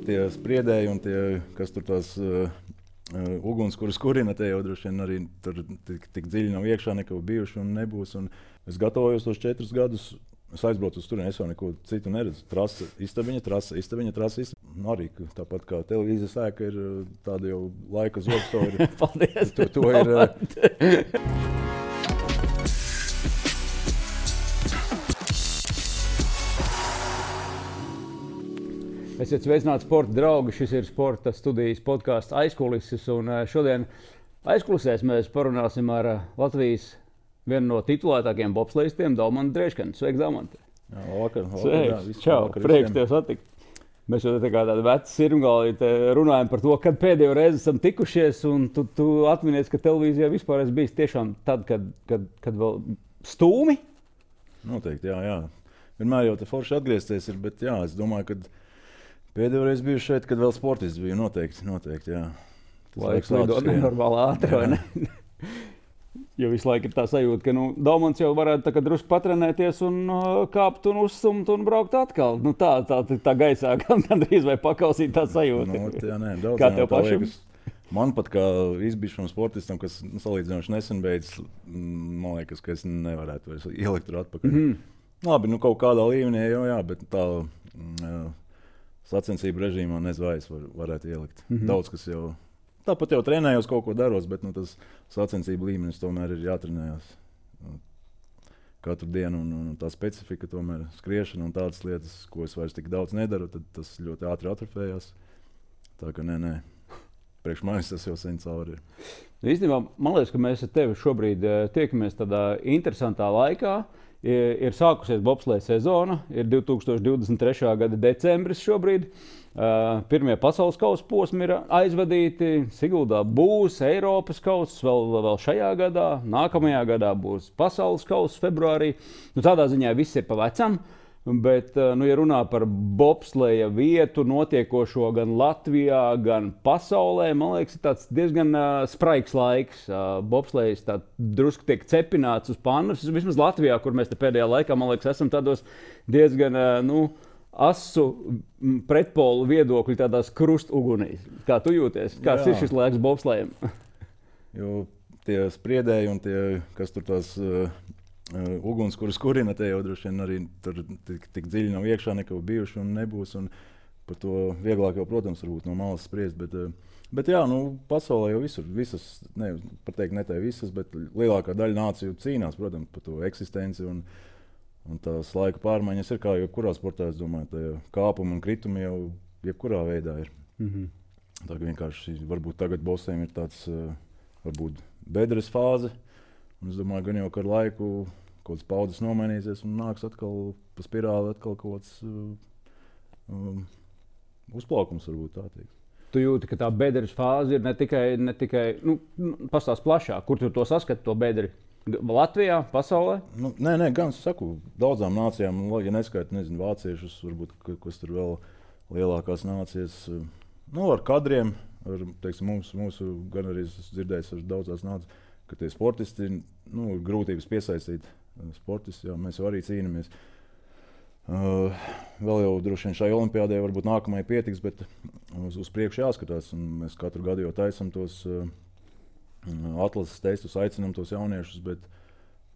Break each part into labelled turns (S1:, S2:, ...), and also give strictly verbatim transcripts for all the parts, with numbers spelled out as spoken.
S1: tie spriedēji un tie, kas tur tās uh, uh, uguns, kuras kurina, tie jau droši vien arī tur tik, tik dziļi nav iekšā, neko bijuši un nebūs. Un es gatavojos tos četrus gadus, es aizbraucu uz turieni, es jau neko citu neredzu. Trasa, istabiņa, trasa, istabiņa, trasa, istabiņa. Arī tāpat kā televīzijas ēka ir tāda jau laika zobs, to ir.
S2: Paldies!
S1: To, to ir uh,
S2: Esiet sveicināti sporta draugi, šis ir sporta studijas podcasts Aizkulises, un šodien aizkulisēs mēs parunāsim ar Latvijas vienu no titulētākajiem bobslejistiem, Daumantu Dreškanu. Sveiki, Daumanti!
S1: Jā, vakar, vakar,
S2: Sveiks!
S1: jā, visu,
S2: Čau,
S1: vakar
S2: prieks
S1: visiem.
S2: tev satikt! Mēs jau tā kā tādi veci sirmgalī runājam par to, kad pēdējo reizi esam tikušies, un tu, tu atminies, ka televīzijā vispār esi bijis tiešām tad, kad, kad, kad vēl stūmi?
S1: Noteikti, jā, jā. Vienmēr jau te forši atgriezties ir, bet jā, es domāju, ka pēdējo reizi biju šeit, kad vēl sportists biju, noteikti, noteikti, jā.
S2: Laiks lido nenormāli ātri, vai ne? Jo visu laiku ir tā sajūta, ka nu, Daumants jau varētu tā, drusku patrenēties un uh, kāpt un uzsumt un braukt atkal. Nu, tā, tā, tā gaisā gandrīz vai pakausīt tā sajūta.
S1: Nu, jā, nē, daudz,
S2: Kā
S1: jā,
S2: tev
S1: tā
S2: pašam?
S1: liekas, man pat kā izbijušam sportistam, kas nu, salīdzinoši nesen beidzis, man liekas, ka es nevarētu vairs ielikt tur atpakaļ.
S2: Mhm.
S1: Labi, nu kaut kādā līmenī jau jā, bet tā uh, sacensību režīmā nezvairs var, varētu ielikt.
S2: Mhm.
S1: Daudz, kas jau, tāpat jau trenējos, kaut ko daros, bet nu, tas sacensību līmenis tomēr ir jātrenējās nu, katru dienu, un, un tā specifika tomēr skriešana un tādas lietas, ko es vairs tik daudz nedaru, tad tas ļoti ātri atrofējās. Tā ka nē, nē, priekš manis tas jau sen cauri ir.
S2: Īstenībā, man liekas, ka mēs ar tevi šobrīd uh, tiekamies tādā interesantā laikā. Ir, ir sākusies bobsleja sezona, ir divi tūkstoši divdesmit trešā gada decembris šobrīd. Uh, pirmie pasaules kausa posmi ir aizvadīti. Siguldā būs Eiropas kausa vēl, vēl šajā gadā. Nākamajā gadā būs pasaules kausa februārī. Nu, tādā ziņā viss ir pa vecam. Bet, nu, ja runā par bobsleja vietu notiekošo gan Latvijā, gan pasaulē, man liekas, ir tāds diezgan uh, spraigs laiks. Uh, bobslejs tā drusku tiek cepināts uz pannas. Vismaz Latvijā, kur mēs te pēdējā laikā, man liekas, esam tādos diezgan uh, nu, asu pretpolu viedokļu tādās krustugunīs. Kā tu jūties? Kāds
S1: Jā.
S2: ir šis laiks bobslejam?
S1: Jo tie spriedēji un tie, kas tur tās uh, uh, uguns, kuras kurina, tie jau droši vien arī tur tik, tik dziļi nav iekšā, neko bijuši un nebūs. Un par to vieglāk jau, protams, varbūt no malas spriest. Bet, uh, bet jā, nu, pasaulē jau visur, visas, ne, pateikt ne tai visas, bet lielākā daļa nāciju cīnās, protams, par to eksistenci. Un, un tās laika pārmaiņas ir kā jebkurā sportā, es domāju, tā kāpumi un kritumi jau jebkurā veidā ir.
S2: Mhm.
S1: Tā kā vienkārši varbūt tagad bosiem ir tāds uh, varbūt bedres fāze. Un es domāju, gan jau ka ar laiku kaut kāds paudzes nomainīsies un nāks atkal pa spirāli atkal kaut kāds uh, um, uzplaukums varbūt tā teikt.
S2: Tu jūti, ka tā bedres fāze ir ne tikai, ne tikai nu, pastāst plašāk, kur tu to saskati, to bedri? Latvijā, pasaulē?
S1: Nu, nē, nē, gan es saku, daudzām nācijām, ja neskaita, nezinu, vāciešus, varbūt, kas tur vēl lielākās nācijas, nu, ar kadriem, ar, teiksim, mūsu, mūsu, gan arī es dzirdējis ar daudzās nācijas, ka tie sportisti, nu, ir grūtības piesaistīt sportisti, jā, mēs jau arī cīnamies. Uh, vēl jau droši vien šai olimpiādē varbūt nākamajai pietiks, bet uz, uz priekšu jāskatās, un mēs katru gadu jau taisam tos uh, atlases testus, aicinām tos jauniešus, bet,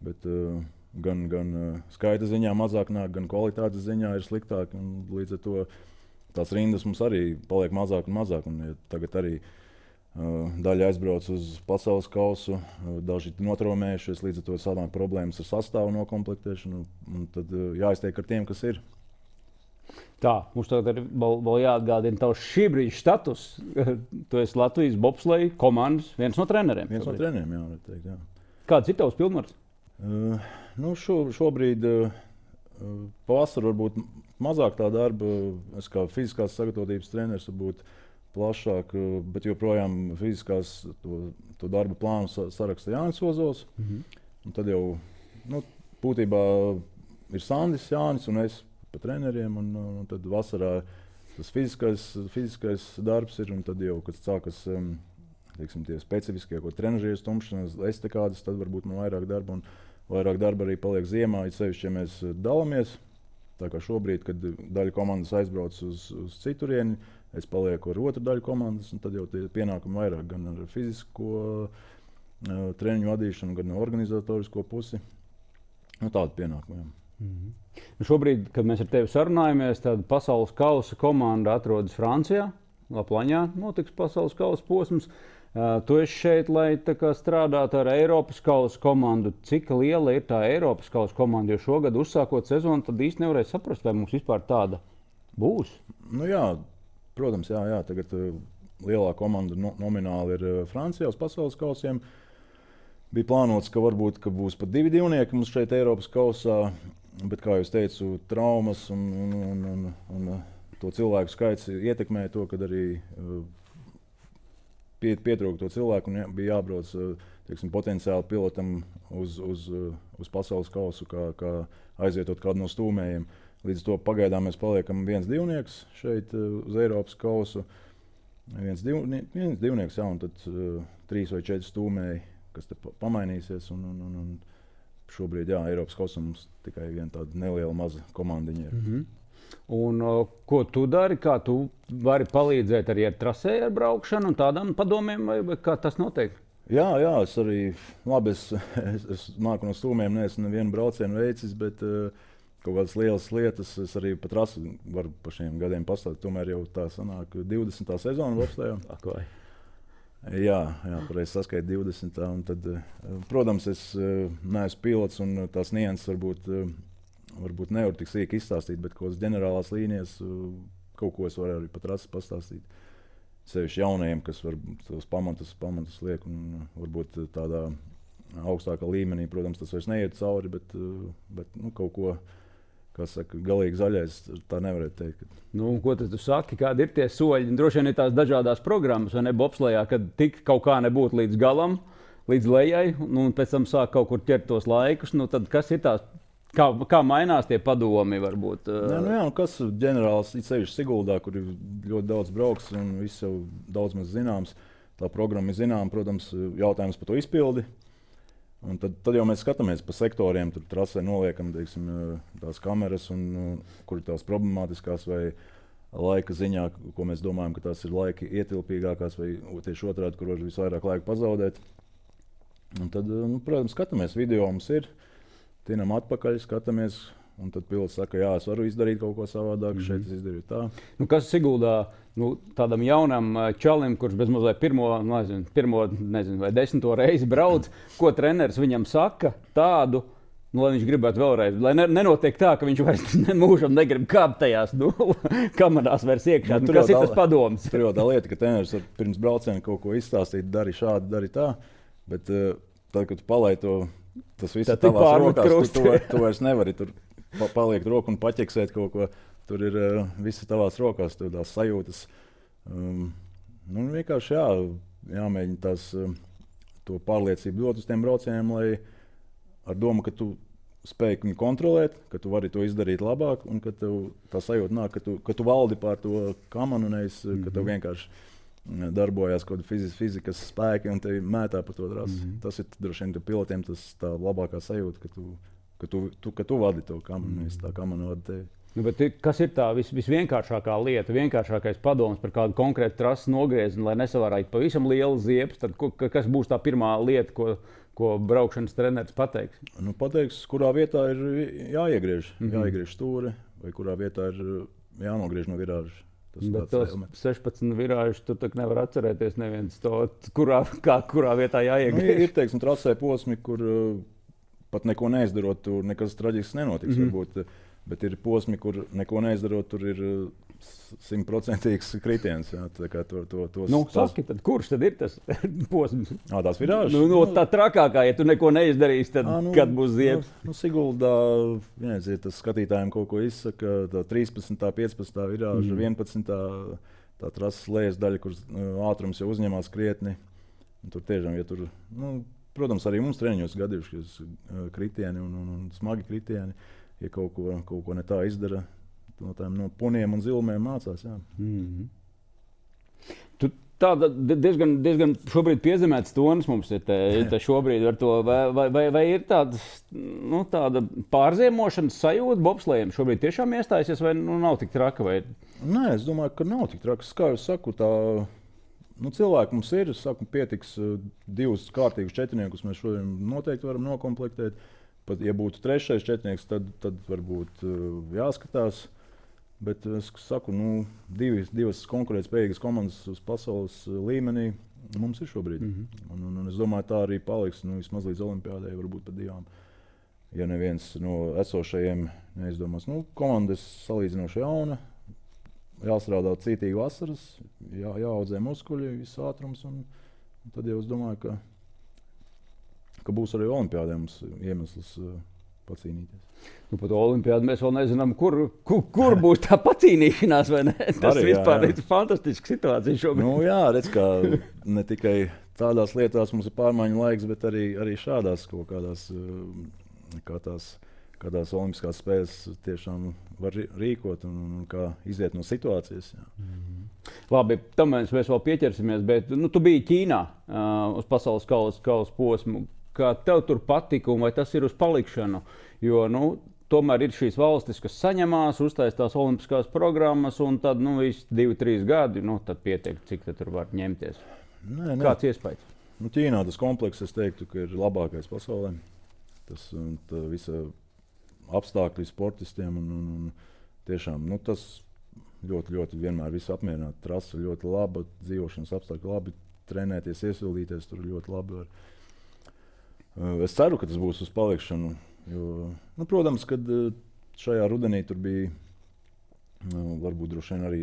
S1: bet uh, gan, gan uh, skaita ziņā mazāk nāk, gan kvalitātes ziņā ir sliktāk. Līdz ar to tās rindas mums arī paliek mazāk un mazāk. Un, ja tagad arī uh, daļa aizbrauc uz pasaules kausu, uh, daži notraumējušies, līdz ar to sanāk problēmas ar sastāvu nokomplektēšanu. Un tad uh, jāiztiek ar tiem, kas ir.
S2: Tā, mums tagad ir vēl, vēl jāatgādina tavs šī brīža status. Tu esi Latvijas bobsleja komandas viens no treneriem.
S1: Viens no treneriem, jā, var teikt, jā.
S2: Kāds ir tavs pilnvars?
S1: Uh, nu šo, šobrīd uh, pavasarī varbūt mazāk tā darba. Es kā fiziskās sagatavotības treneris varbūt plašāk, uh, bet joprojām fiziskās to, to darba plānu sa, saraksta Jānis Ozovs.
S2: Mhm.
S1: Un tad jau nu, būtībā ir Sandis, Jānis un es pa treneriem. Un, un tad vasarā tas fiziskais, fiziskais darbs ir, un tad jau, kad sākas um, teiksim, tie specifiskie, ko trenažieru stumšanas, estekādas, tad varbūt man vairāk darba, un vairāk darba arī paliek ziemā, it sevišķi, ja mēs dalāmies. Tā kā šobrīd, kad daļa komandas aizbrauc uz, uz citurieni, es palieku ar otru daļu komandas, un tad jau tie pienākumi vairāk gan ar fizisko uh, treniņu vadīšanu, gan organizatorisko pusi. Nu, tādu pienākumu.
S2: Mm-hmm. Šobrīd, kad mēs ar tevi sarunājamies, tad pasaules kausa komanda atrodas Francijā. Laplaņā notiks pasaules kausa posms. Uh, tu esi šeit, lai kā, strādātu ar Eiropas kausa komandu. Cik liela ir tā Eiropas kausa komanda? Jo šogad, uzsākot sezonu, tad īsti nevarēja saprast, vai mums vispār tāda būs.
S1: Nu, jā, protams, jā, jā. Tagad uh, lielā komanda no, nomināli ir uh, Francijā uz pasaules kausiem. Bija plānots, ka varbūt ka būs pat divi divnieki mums šeit Eiropas kausā. Bet, kā jau teicu, traumas un, un, un, un, un to cilvēku skaits ietekmēja to, ka arī uh, pie, pietrūka to cilvēku un jā, bija jābrauc uh, teiksim, potenciāli pilotam uz, uz, uh, uz pasaules kausu, kā, kā aizvietot kādu no stūmējiem. Līdz to pagaidām mēs paliekam viens divnieks šeit uh, uz Eiropas kausu. Viens, divnie, viens divnieks, jā, un tad uh, trīs vai četri stūmēji, kas te pamainīsies. Un, un, un, un šobrīd, jā, Eiropas kausā mums tikai viena tāda neliela maza komandiņa ir.
S2: Mm-hmm. Un, uh, ko tu dari? Kā tu vari palīdzēt arī ar trasēju, ar braukšanu un tādām padomiem, vai, vai kā tas notiek?
S1: Jā, jā, es arī, labi, es, es, es nāku no stūmiem, neesmu nevienu braucienu veicis, bet uh, kaut kādas lielas lietas es arī pa trasi varu pa šiem gadiem pastāstīt. Tomēr jau tā sanāk divdesmitā sezona bobslejā. Jā, jā, pareizi saskait divdesmitā. Un tad, protams, es neesmu pilots un tās nianses varbūt, varbūt nevar tik sīki izstāstīt, bet kaut kādas ģenerālās līnijas kaut ko es varu arī pat rasi pastāstīt. Sevišķi jaunajiem, kas var tos pamatus, pamatus liek un varbūt tādā augstākā līmenī, protams, tas vairs neiet cauri, bet, bet nu, kaut ko, kas saka, galīgi zaļais, tā nevarētu teikt.
S2: Nu, ko tad tu saki, kādi ir tie soļi? Droši vien ir tās dažādās programmas, vai ne, bobslejā, kad tik kaut kā nebūtu līdz galam, līdz lejai, nu, un pēc tam sāk kaut kur ķert tos laikus. Nu, tad kas ir tās, kā, kā mainās tie padomi varbūt?
S1: Nē, nu jā, nu kas ģenerāls, it sevišķi Siguldā, kur ir ļoti daudz brauks un viss jau daudz maz zināms. Tā programma ir zināma, protams, jautājums par to izpildi. Un tad, tad jau mēs skatāmies pa sektoriem, tur trasē noliekam teiksim, tās kameras, un, kur ir tās problemātiskās vai laika ziņā, ko mēs domājam, ka tās ir laika ietilpīgākās, vai tieši otrādi, kur var visvairāk laika pazaudēt. Un tad, nu, protams, skatāmies, video mums ir, tinam atpakaļ, skatāmies, un tad pilots saka, jā, es varu izdarīt kaut ko savādāk, mm-hmm. šeit es izdarīju tā.
S2: Nu, kas Siguldā nu, tādam jaunam čalim, kurš bezmazliet pirmo, nezinu, pirmo nezinu, vai desmito reizi brauc, ko treneris viņam saka tādu, nu, lai viņš gribētu vēlreiz, lai ne, nenotiek tā, ka viņš vairs ne, mūžam negrib kāpt tajās nu, kamerās vairs iekšā. Nu, kas ir tas padoms?
S1: Tur jau tā lieta, ka treneris var pirms brauciena kaut ko izstāstīt, dari šādi, dari tā, bet uh, tad, kad tu palai to, tas viss ir tavās rokās, tu, tu, tu vairs nevari tur paliekt roku un paķeksēt kaut ko. Tur ir uh, viss tavās rokās, tur tās sajūtas. Um, nu, vienkārši jā, jāmēģina tās, uh, to pārliecību dot uz tiem braucieniem, lai ar domu, ka tu spēj viņu kontrolēt, ka tu vari to izdarīt labāk un ka tev tā sajūta nāk, ka tu, ka tu valdi pār to kamanu, nevis, mm-hmm. ka tev vienkārši darbojās kaut kāda fizikas, fizikas spēki un tevi mētā pa to trasi. Mm-hmm. Tas ir droši vien pilotiem tas tā labākā sajūta, ka tu Ka tu, tu, ka tu vadi to kamanu, nevis tā kamana vada tevi.
S2: Nu, bet kas ir tā vis, visvienkāršākā lieta, vienkāršākais padoms par kādu konkrētu trases nogriezienu, lai nesavārātu pavisam lielu ziepes? Tad ko, kas būs tā pirmā lieta, ko, ko braukšanas treneris pateiks?
S1: Nu, pateiks, kurā vietā ir jāiegriež, mm-hmm. jāiegriež stūri, vai kurā vietā ir jānogriež no virāža. Tas
S2: bet tos sešpadsmit virāžus tu tak nevar atcerēties neviens to, kurā, kā, kurā vietā jāiegriež.
S1: Nu, ir, teiksim, trasē posmi, kur pat neko neizdarot, tur nekas traģisks nenotiks. Mm-hmm. Varbūt, bet ir posmi, kur neko neizdarot, tur ir simtprocentīgs kritiens. Jā, tā kā to, to, tos,
S2: nu, saki, tad kurš tad ir tas posms?
S1: Ā, tās virāžas?
S2: Nu, no, tā trakākā, ja tu neko neizdarīsi, tad Ā, nu, kad būs ziepes?
S1: Nu, nu, Siguldā, vienreiz, ja tas skatītājiem kaut ko izsaka, tā trīspadsmitā, piecpadsmitā virāža, mm. vienpadsmitā tā trases lejas daļa, kur ātrums jau uzņemās krietni. Un tur tiešām, ja tur, nu, protams, arī mums treniņos gadījušies kritieni un, un, un smagi kritieni. Ja kaut ko, kaut ko ne tā izdara, no tām no puniem un zilmēm mācās. Jā.
S2: Mm-hmm. Tu tāda diezgan, diezgan šobrīd piezemēts tonis mums ir te, te šobrīd ar to, vai, vai, vai, vai ir tāda, nu, tāda pārziemošanas sajūta bobslējiem šobrīd tiešām iestājusies, vai nu, nav tik traka? Vai...
S1: Nē, es domāju, ka nav tik traks. Kā jau saku, tā, nu, cilvēki mums ir, es saku, pietiks divus kārtīgus četrniekus, mēs šodien noteikti varam nokomplektēt. Pat, ja būtu trešais četrnieks, tad, tad varbūt jāskatās. Bet es saku, nu, divi, divas konkurētspējīgas komandas uz pasaules līmenī mums ir šobrīd. Mm-hmm. un, un, un es domāju, tā arī paliks nu, vismaz līdz olimpiādai, varbūt pat divām. Ja neviens no esošajiem neizdomās, nu, komandas salīdzinoši jauna, jāstrādā cītīgi vasaras, jā, jāaudzē muskuļi, viss ātrums. Un, un tad jau es domāju, ka, ka būs arī olimpiādē mums iemesls uh, pacīnīties.
S2: Nu, par to olimpiādu mēs vēl nezinām, kur, kur, kur būs tā pacīnīšanās, vai ne? Tas arī, vispār jā, jā. Ir fantastiska situācija šobrīd.
S1: Nu, jā, redz, kā ne tikai tādās lietās mums ir pārmaiņu laiks, bet arī, arī šādās kaut kādās, kā tās, kādās olimpiskās spēles tiešām var rīkot un, un kā iziet no situācijas. Jā.
S2: Mm-hmm. Labi, tam mēs, mēs vēl pieķersimies, bet nu, tu biji Ķīnā uh, uz pasaules kausa kausa posmu. Kā tev tur patika un vai tas ir uz palikšanu? Jo, nu, tomēr ir šīs valstis, kas saņemās, uztais tās olimpiskās programmas, un tad, nu, visi divi, trīs gadi, nu, tad pietiek, cik tad tur var ņemties.
S1: Nē, nē.
S2: Kāds iespējas?
S1: Nu, Ķīnā tas komplekss, es teiktu, ka ir labākais pasaulē. Tas visa apstākļi sportistiem un, un, un tiešām, nu, tas ļoti, ļoti vienmēr visu apmierināti. Trasa ļoti laba, dzīvošanas apstākļi labi, trenēties, iesildīties tur ļoti labi var. Es ceru, ka tas būs uz palikšanu. Jo, nu, protams, kad šajā rudenī tur bija nu, varbūt droši vien arī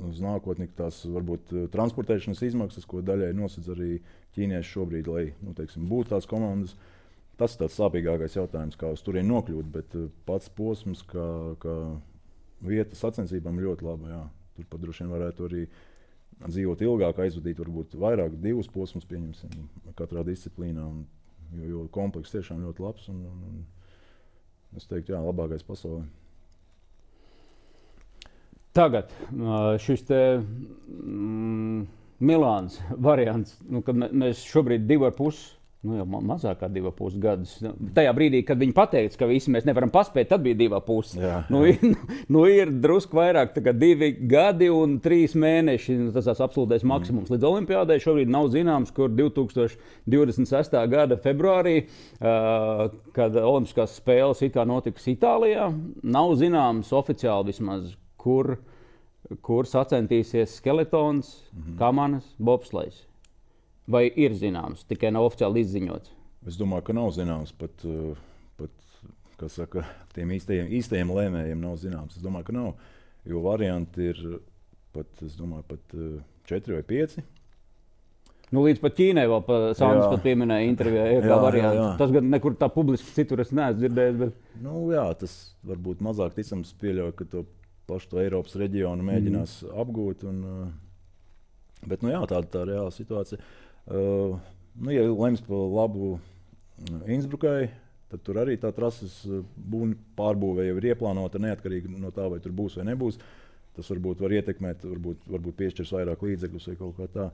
S1: uz nākotni tās varbūt transportēšanas izmaksas, ko daļai nosedz arī ķīnieši šobrīd, lai nu, teiksim, būtu tās komandas. Tas ir tāds sāpīgākais jautājums, kā uz turieni nokļūt, bet pats posms, kā, kā vieta sacensībām ļoti laba. Jā. Tur pat droši vien varētu arī dzīvot ilgāk, aizvadīt varbūt vairāk, divus posmus pieņemsim katrā disciplīnā. Un, jo, jo komplekss tiešām ļoti labs un, un, un es teiktu, jā, labākais pasaulē.
S2: Tagad šis te mm, Milāns variants, nu, kad mēs šobrīd divi ar pus, nu jau mazāk kā divi ar pus gadus. Tajā brīdī, kad viņi pateica, ka visi mēs nevaram paspēt, tad bija divi ar pus. Jā, jā. Nu, ir, nu ir drusku vairāk, tā kā divi gadi un trīs mēneši. Tas tas absolūtais maksimums. Līdz olimpiādai šobrīd nav zināms, kur divi tūkstoši divdesmit sestā gada februārī, uh, kad olimpiskās spēles it kā notiks Itālijā, nav zināms oficiāli vismaz, kur, kur sacentīsies skeletons, mm-hmm. kamanas, bobslejs. Vai ir zināms, tikai nav oficiāli izziņots?
S1: Es domāju, ka nav zināms. Pat, pat kas saka, tiem īstajiem, īstajiem lēmējiem nav zināms. Es domāju, ka nav. Jo varianti ir pat, es domāju, pat četri vai pieci.
S2: Nu, līdz pat Ķīnai vēl pa, Sandis pat pieminēja intervijā, ir kā variants. Jā, jā. Tas gan nekur tā publiski citur es neesmu dzirdējis. Bet...
S1: Nu, jā, tas varbūt mazāk ticams pieļauj, ka to pašu to Eiropas reģionu mēģinās mm. apgūt. Un, bet, nu jā, tāda tā reāla situācija. Uh, nu, ja lems par labu Innsbrukai, tad tur arī tā trases pārbūve jau ir ieplānota neatkarīgi no tā, vai tur būs vai nebūs. Tas varbūt var ietekmēt, varbūt, varbūt piešķirs vairāk līdzekļus vai kaut kā tā.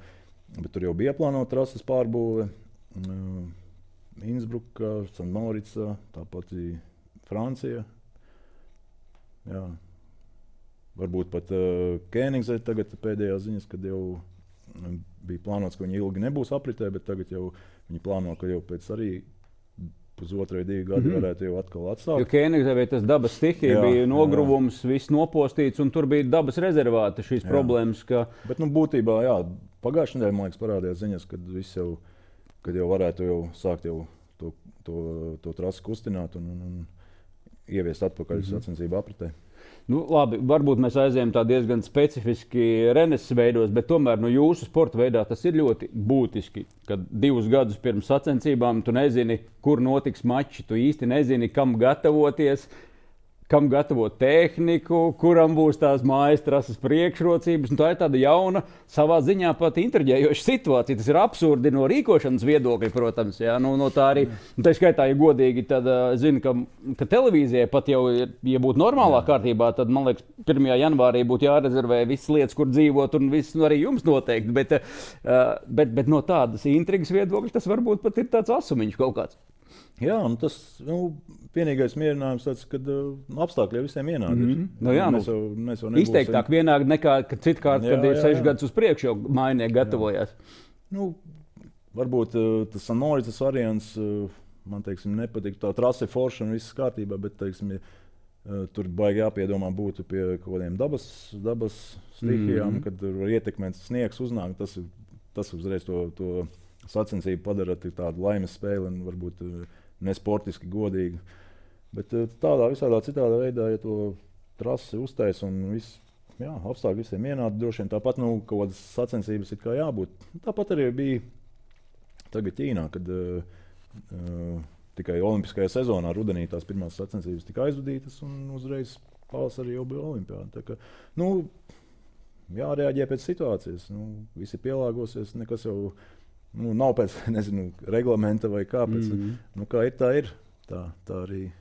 S1: Bet tur jau bija ieplānota trases pārbūve. Uh, Innsbruka, Sanmorica, tāpat Francija. Jā. Varbūt pat uh, Kēnigzē tagad pēdējās ziņas, kad jau bija plānots, ka viņi ilgi nebūs apritē, bet tagad jau viņi plāno, ka jau pēc arī pusotru vai divi gadi mm-hmm. varētu jau atkal atsākt.
S2: Jo Kēnigzē tas dabas stihija bija nogruvums, jā. Viss nopostīts, un tur bija dabas rezervāti šīs jā. Problēmas. Ka...
S1: Bet nu, būtībā, jā, pagājušajā nedēļā, man liekas, parādījās ziņas, kad viss jau, kad jau varētu jau sākt jau to, to, to trasi kustināt un, un, un ieviest atpakaļ mm-hmm. sacensību apritē.
S2: Nu, labi, varbūt mēs aizējām tā diezgan specifiski reneses veidos, bet tomēr no jūsu sporta veidā tas ir ļoti būtiski, kad divus gadus pirms sacensībām tu nezini, kur notiks mači, tu īsti nezini, kam gatavoties. kam gatavot tehniku, kuram būs tās mājas trases priekšrocības. Un tā ir tāda jauna, savā ziņā pat intriģējoša situācija. Tas ir absurdi no rīkošanas viedokļa, protams. Jā. Nu, no tā arī, tā skaitā, ja godīgi, tad es zinu, ka, ka televīzijai pat jau, ja būtu normālā kārtībā, tad, man liekas, pirmajā janvārī būtu jārezervē visas lietas, kur dzīvot, un viss, nu, arī jums noteikti. Bet, bet, bet no tādas intrigas viedokļa tas varbūt pat ir tāds asumiņš kaut kāds.
S1: Jā, un tas nu, vienīgais mierinājums tāds, kad uh, apstākļi jau visiem vienādi.
S2: Mm -hmm. nu, jā,
S1: mēs jau, mēs jau nebūsim...
S2: Izteiktāk vienādi nekā citkārt, kad jā, ir seši gadus uz priekšu jau mājinieki gatavojās.
S1: Nu, varbūt uh, tas Sanoricas variants uh, man, teiksim, nepatīk. Tā trase forša un viss kārtībā, bet, teiksim, ja, uh, tur baigi jāpiedomā būtu pie kaut kādiem dabas, dabas stihijām, mm -hmm. kad var ietekmēt sniegs uznāk. Tas, tas uzreiz to, to sacensību padara tādu laimes spēli un varbūt uh, nesportiski godīgi. Bet tādā visādā citādā veidā, ja to trasi uztais un viss, jā, apstākļi visiem vienādi, droši vien tāpat nu, kaut kādas sacensības ir kā jābūt. Tāpat arī bija tagad Ķīnā, kad uh, uh, tikai olimpiskajā sezonā rudenī tās pirmās sacensības tika aizvadītas un uzreiz pavasarī jau bija olimpiāda. Tā kā, nu, jārēģē pēc situācijas. Nu, visi pielāgosies, nekas jau Nu, nav pēc nezinu, reglamenta vai kāpēc. Mm -hmm. nu, kā ir, tā ir. Tā, tā arī,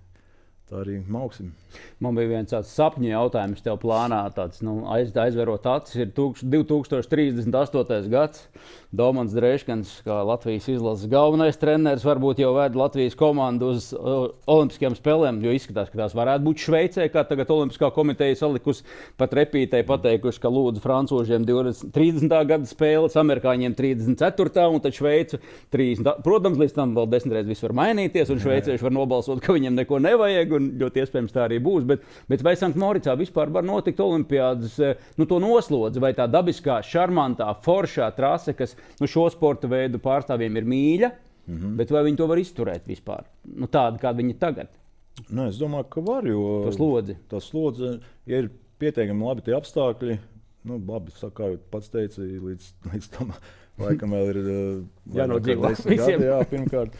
S1: tā arī mauksim.
S2: Man bija viens tāds sapņu jautājums tev plānā. Tāds, nu, aiz, aizverot acis ir divi tūkstoši trīsdesmit astotais gads. Domants Dreškans, kā Latvijas izlases galvenais treneris, varbūt jau ved Latvijas komandu uz uh, olimpiskajām spēlēm, jo izskatās, ka tās varētu būt Šveicē, kā tagad Olimpiskā komiteja salikusi, pat repītei pateikuši, ka lūdzu francūžiem trīsdesmitā gada spēles, amerikāņiem trīsdesmit ceturtā un tad Šveicu trīsdesmit. Protams, līdz tam vēl desmit reizes viss var mainīties, un šveicieši var nobalsot, ka viņiem neko nevajag, un ļoti iespējams tā arī būs. Bet, bet vai Sanktmoricā vispār var notikt olimpiādas, nu, to noslodzi, vai tā dabiskā, šarmantā, foršā trase, kas nu, šo sporta veidu pārstāvjiem ir mīļa, mm-hmm. bet vai viņi to var izturēt vispār? Nu, tāda, kāda viņi ir tagad.
S1: Nu, es domāju, ka var, jo
S2: tā slodzi.
S1: Tā slodze, ja ir pietiekami labi tie apstākļi, nu, labi, kā jau pats teica, līdz, līdz tam laikam vēl ir
S2: jānodzīvo visiem.
S1: Jā, pirmkārt.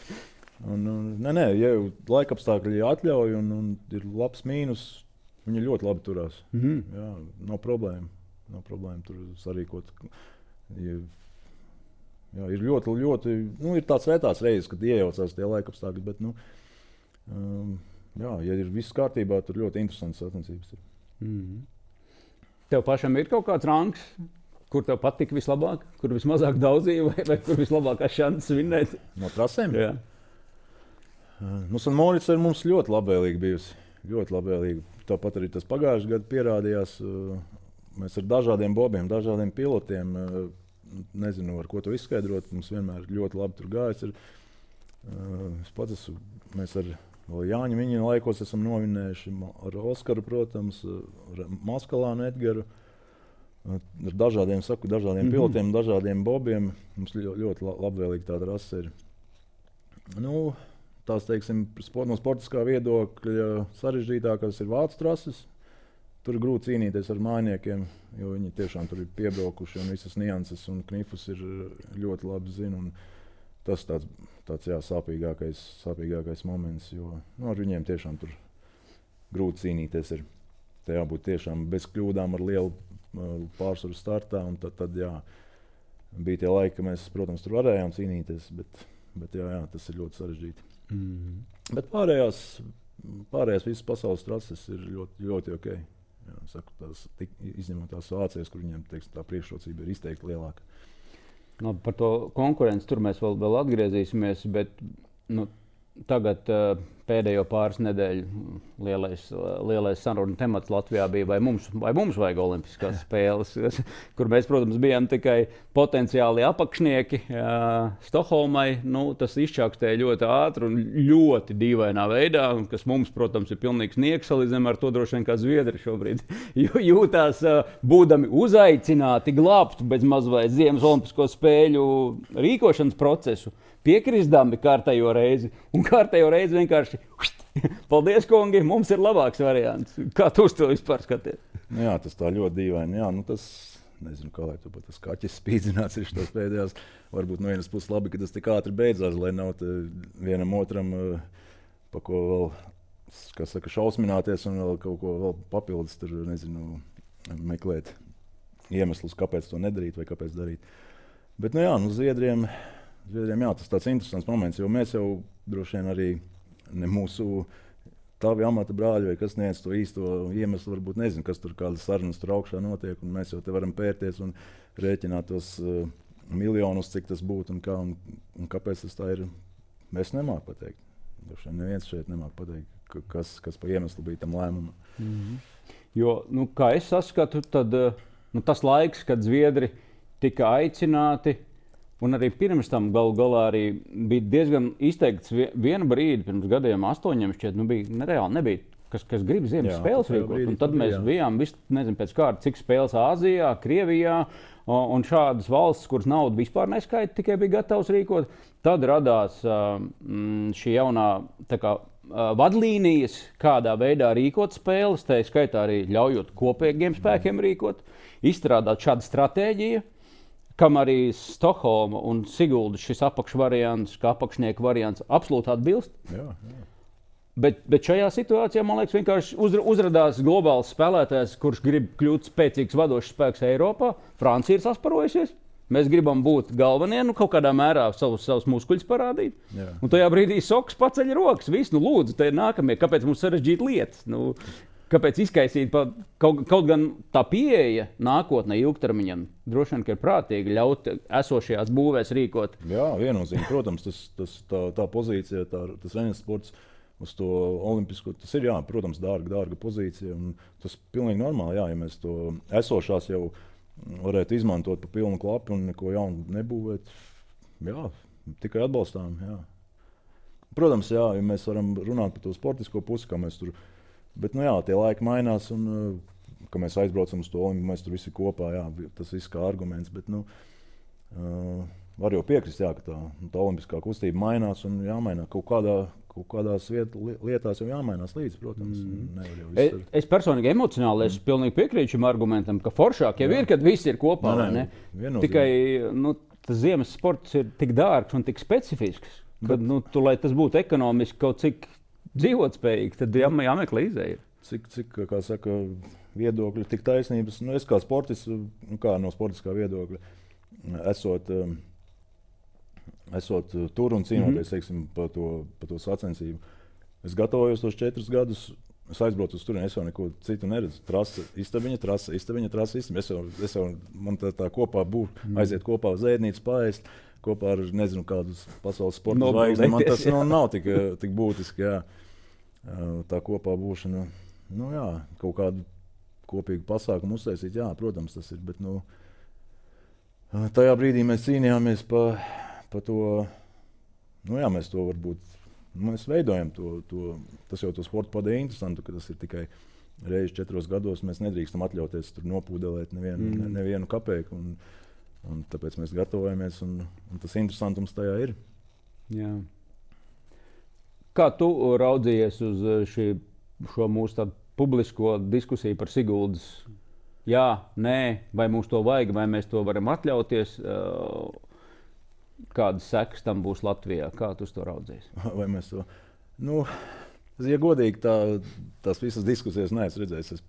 S1: Un, un, nē, nē, ja laika apstākļi atļauj un, un ir labs mīnus, viņi ļoti labi turās. Mm-hmm. Jā, nav problēma. Nav problēma tur sarīkot. Ja, jā, ir ļoti, ļoti, nu, ir tāds retās reizes, kad iejaucās tie laika apstākļi, bet, nu, um, jā, ja ir viss kārtībā, tur ļoti interesants sacensības ir.
S2: Mm-hmm. Tev pašam ir kaut kāds rangs, kur tev patika vislabāk, kur vismazāk daudzīja, vai, vai kur vislabākās šances vinnēt?
S1: No trasēm?
S2: Jā.
S1: Nu, Sanmorica ir mums ļoti labvēlīga bijusi. Ļoti labvēlīga. Tāpat arī tas pagājušajā gadā pierādījās. Mēs ar dažādiem bobiem, dažādiem pilotiem, nezinu, ar ko to izskaidrot. Mums vienmēr ļoti labi tur gājis. Ir. Es pats esmu, mēs ar Jāņa viņa laikos esam novinējuši ar Oskaru, protams, ar Maskalānu Edgaru. Ar dažādiem, saku, dažādiem mm-hmm. pilotiem, dažādiem bobiem. Mums ļoti, ļoti labvēlīgi tāda rasa ir. Nu, tās, teiksim, no sportiskā viedokļa sarežģītākās ir vācu trases. Tur ir grūti cīnīties ar mājiniekiem, jo viņi tiešām tur ir piebraukuši un visas nianses un knifus ir ļoti labi zina. Tas tāds, tāds jā, sāpīgākais, sāpīgākais moments, jo nu, ar viņiem tiešām tur grūti cīnīties ir. Te jābūt tiešām bez kļūdām ar lielu uh, pārsvaru startā. Un tad, tad jā, bija tie laiki, ka mēs, protams, tur varējām cīnīties, bet, bet jā, jā, tas ir ļoti sarežģīti. Mm-hmm. Bet pārējās, pārējās visas pasaules trases ir ļoti, ļoti ok. Jā, saku, tās, tik, izņemot tās Vācijas, kur viņiem teiksim, tā priekšrocība ir izteikti lielāka.
S2: No, par to konkurenci tur mēs vēl, vēl atgriezīsimies, bet nu, tagad uh, pēdējo pāris nedēļu lielais, lielais sarunu temats Latvijā bija, vai mums, vai mums vajag olimpiskās spēles, kur mēs, protams, bijām tikai potenciāli apakšnieki uh, Stokholmai. Nu, tas izčākstēja ļoti ātri un ļoti dīvainā veidā, kas mums, protams, ir pilnīgs nieks salīdzinājumā ar to droši vien kā Zviedri šobrīd jūtās, uh, būdami uzaicināti glābt bez maz vai Ziemas olimpisko spēļu rīkošanas procesu, piekrisdami kārtējo reizi, un kārtējo reizi vienkārši paldies, kungi, mums ir labāks variants. Kā tu uz to vispār skaties?
S1: Nu jā, tas tā ļoti dīvaini. Jā, nu tas, nezinu, kā lai tu pat tas kaķis spīdzināts ir šitās pēdējās. Varbūt no vienas puses labi, ka tas tik ātri beidzās, lai nav vienam otram, pa ko vēl kas saka, šausmināties un vēl kaut ko vēl papildus tur, nezinu, meklēt iemeslus, kāpēc to nedarīt vai kāpēc darīt. Bet, nu jā, nu Zviedriem, Zviedriem jā, tas tāds interesants moments, jo mēs jau droši vien arī ne mūsu tavi amata brāļi vai kas niec to īsto iemeslu, varbūt nezinu, kas tur kādas sarunas tur augšā notiek, un mēs jau te varam pērties un rēķināt tos uh, miljonus, cik tas būtu un, kā, un, un kāpēc tas tā ir. Mēs nemāk pateikt. Droši neviens šeit nemāk pateikt, kas, kas pa iemeslu bija tam lēmumam.
S2: Mm-hmm. Jo, nu, kā es saskatu, tad nu, tas laiks, kad Zviedri tika aicināti, un arī pirms tam galu galā arī bija diezgan izteikts vienu brīdi, pirms gadiem astoņiem šķiet, nu bija nereāli, nebija, kas, kas grib ziemas jā, spēles rīkot. Un tad mēs jā. bijām, vis, nezinu, pēc kārta, cik spēles Āzijā, Krievijā, un šādas valstis, kuras naudu vispār neskaita, tikai bija gatavs rīkot. Tad radās mm, šī jaunā tā kā, vadlīnijas, kādā veidā rīkot spēles, tā skaitā arī ļaujot kopīgiem spēkiem rīkot, izstrādāt šādu stratēģiju, kam arī Stokholma un Siguldas šis apakšvariants, kā apakšnieku variants, absolūti atbilst.
S1: Jā, jā.
S2: Bet, bet šajā situācijā, man liekas, vienkārši uzra, uzradās globāls spēlētājs, kurš grib kļūt spēcīgs vadošs spēks Eiropā. Francija ir sasparojusies. Mēs gribam būt galvenie, nu kaut kādā mērā savus, savus muskuļus parādīt. Jā. Un tajā brīdī Soks paceļ rokas. Viss, nu lūdzu, te ir nākamie. Kāpēc mums sarežģīt lietas? Nu, kāpēc izkaisīt? Pa, kaut, kaut gan tā pieeja nākotnē ilgtermiņam droši vien, ka ir prātīgi ļaut esošajās būvēs rīkot.
S1: Jā, viennozīmīgi. Protams, tas, tas, tā, tā pozīcija, tā, tas renes sports uz to olimpisko, tas ir, jā, protams, dārga, dārga pozīcija. Un tas ir pilnīgi normāli, jā, ja mēs to esošās jau varētu izmantot pa pilnu klapu un neko jaunu nebūvēt. Jā, tikai atbalstām. Jā. Protams, jā, ja mēs varam runāt par to sportisko pusi, kā mēs tur. Bet, nu jā, tie laiki mainās un, ka mēs aizbraucam uz to olimpiku, mēs tur visi kopā, jā, tas viss kā arguments. Bet, nu, uh, var jau piekrist, jā, ka tā, tā olimpiskā kustība mainās un jāmainā kaut kādā. Kaut kādās viet, lietās jau jāmainās līdzi, protams. Mm.
S2: Es, es personīgi emocionāli es mm. pilnīgi piekrītu šim argumentam, ka foršāk jau jā. ir, kad viss ir kopā. Nē, nē, Tikai nu, tas ziemas sports ir tik dārgs un tik specifisks, ka, Bet, nu, tu, lai tas būtu ekonomiski kaut cik dzīvotspējīgs, tad jā, jāmeklē izēja.
S1: Cik, cik, kā saka, viedokļi, tik taisnības. Nu, es kā sportists, nu, kā no sportiskā viedokļa, esot... Um, Esot tur un cīnoties mm-hmm. par to, pa to sacensību. Es gatavojos tos četrus gadus, es aizbraucu uz turieni, es jau neko citu neredzu. Trasa, istabiņa, trasa, istabiņa, trasa, istabiņa. Es jau, es jau man tā, tā kopā būtu, mm. aiziet kopā uz ēdnīcu, paēst, kopā ar nezinu kādus pasaules sporta zvaigzni. Man tas nu, nav tik, tik būtiski, jā. Tā kopā būšana, nu jā, kaut kādu kopīgu pasākumu uztaisīt, jā, protams tas ir, bet nu, tajā brīdī mēs cīnījāmies pa Par to, nu jā, mēs to varbūt, mēs veidojam to, to, tas jau to sportu padēja interesantu, ka tas ir tikai reizi četros gados, mēs nedrīkstam atļauties tur nopūdelēt nevienu, mm. ne, nevienu kapeiku, un, un tāpēc mēs gatavojamies, un, un tas interesantums tajā ir.
S2: Jā. Kā tu raudzījies uz šī, šo mūsu tādu publisko diskusiju par Siguldas? Jā, nē, vai mums to vajag, vai mēs to varam atļauties? Uh, Kādas sekas tam būs Latvijā? Kā tu to raudzies?
S1: Vai mēs to... Nu, ja godīgi, tā, tās visas diskusijas neesmu redzējis. Es